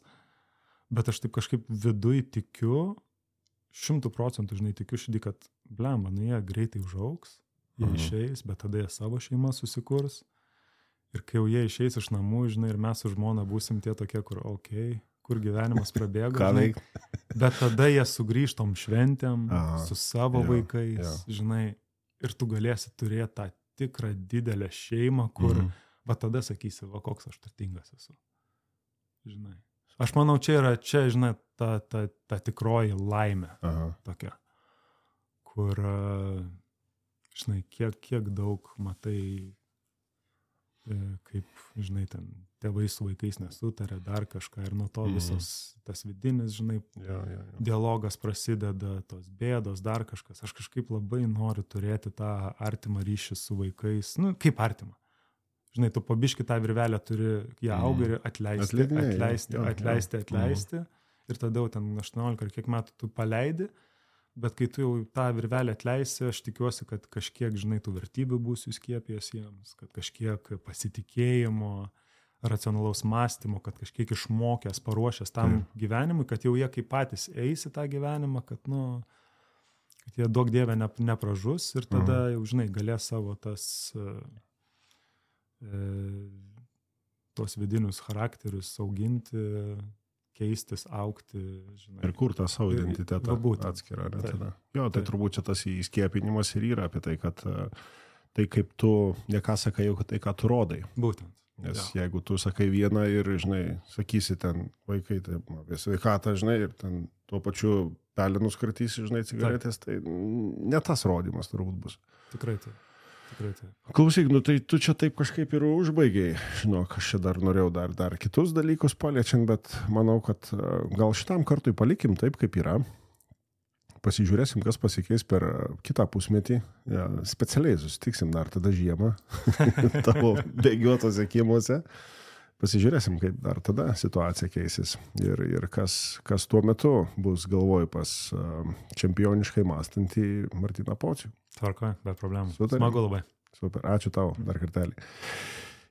D: bet aš taip kažkaip viduj tikiu, 100%, žinai, tikiu širdį, kad blemba, nu jie greitai užaugs, jie išeis, bet tada jie savo šeimą susikurs ir kai jau jie išeis iš namų, žinai, ir mes su žmona būsim tie tokie, kur, kur gyvenimas prabėgo, žinai, bet tada jie sugrįžtom šventėm su savo vaikais, žinai, ir tu galėsi turėti tą tikrą didelę šeimą, kur, va tada sakysi, va koks aš turtingas esu, žinai. Aš manau, čia žinai, ta tikroji laimė. Tokia, kur, žinai, kiek daug matai, kaip, žinai, ten tėvai su vaikais nesutarė, dar kažką ir nuo to visas tas vidinis, žinai, dialogas prasideda, tos bėdos, dar kažkas. Aš kažkaip labai noriu turėti tą artimą ryšį su vaikais, nu, kaip artimą. Žinai, tu pabiški tą virvelę turi, ją auga ir atleisti. Ir tada jau ten 18 ar kiek metų tu paleidi, bet kai tu jau tą virvelę atleisi, aš tikiuosi, kad kažkiek, žinai, tų vertybių būsiu įskiepijęs jiems, kad kažkiek pasitikėjimo, racionalaus mąstymo, kad kažkiek išmokęs, paruošęs tam gyvenimui, kad jau jie kaip patys eis į tą gyvenimą, kad, nu, kad jie daug dievę nepražus ir tada jau, žinai, galės savo tos vidinius charakterius auginti, keistis, augti, žinai.
C: Ir kur tą savo identitetą atskirą. Jo, tai turbūt čia tas įskiepinimas ir yra apie tai, kad tai kaip tu, ne ką sakai, jau tai, ką tu rodai.
D: Būtent.
C: Nes jeigu tu sakai vieną ir, žinai, sakysi ten vaikai, tai apie sveikatą, žinai, ir ten tuo pačiu pelenus kartysi, žinai, cigaretės, tai ne tas rodymas turbūt bus.
D: Tikrai tai.
C: Klausyk, nu tai tu čia taip kažkaip ir užbaigiai. Žinok, aš čia dar norėjau dar kitus dalykus paliečiant, bet manau, kad gal šitam kartui palikim taip, kaip yra. Pasižiūrėsim, kas pasikeis per kitą pusmetį. Ja, specialiai susitiksim dar tada žiemą tavo bėgiuotose kiemuose. Pasižiūrėsim, kaip dar tada situacija keisis. Ir kas tuo metu bus, galvoju, pas čempioniškai mąstantį Martyną Pocių.
D: Tvarko, be problemų. Smagu labai.
C: Super, ačiū tau dar kartelį.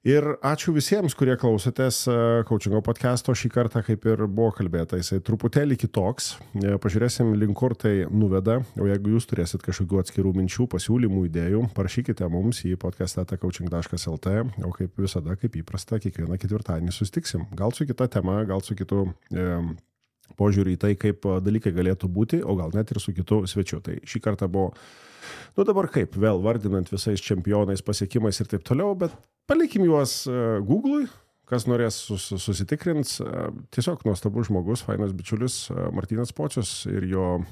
C: Ir ačiū visiems, kurie klausotės Coachingo podcast'o. Šį kartą, kaip ir buvo kalbėta, jisai truputėlį kitoks. Pažiūrėsim, link kur tai nuveda. O jeigu jūs turėsit kažkokių atskirų minčių, pasiūlymų, idėjų, parašykite mums į podcast@coaching.lt. O kaip visada, kaip įprasta, kiekvieną ketvirtadienį sustiksim. Gal su kita tema, gal su kitu požiūrį į tai, kaip dalykai galėtų būti, o gal net ir su kitu svečiu. Tai šį kartą buvo, nu dabar kaip, vėl vardinant visais čempionais, pasiekimais ir taip toliau, bet palikim juos Google'ui, kas norės susitikrins. Tiesiog nuostabus žmogus, fainas bičiulis Martynas Pocius ir jo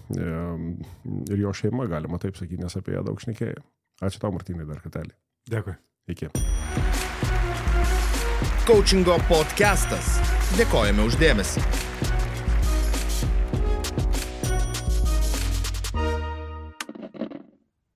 C: šeima, galima taip sakyti, nes apie ją daug šnekėjo. Ačiū tau, Martynai, dar kartelį.
D: Dėkui.
C: Iki.
A: Coachingo podcastas. Dėkojame už dėmesį.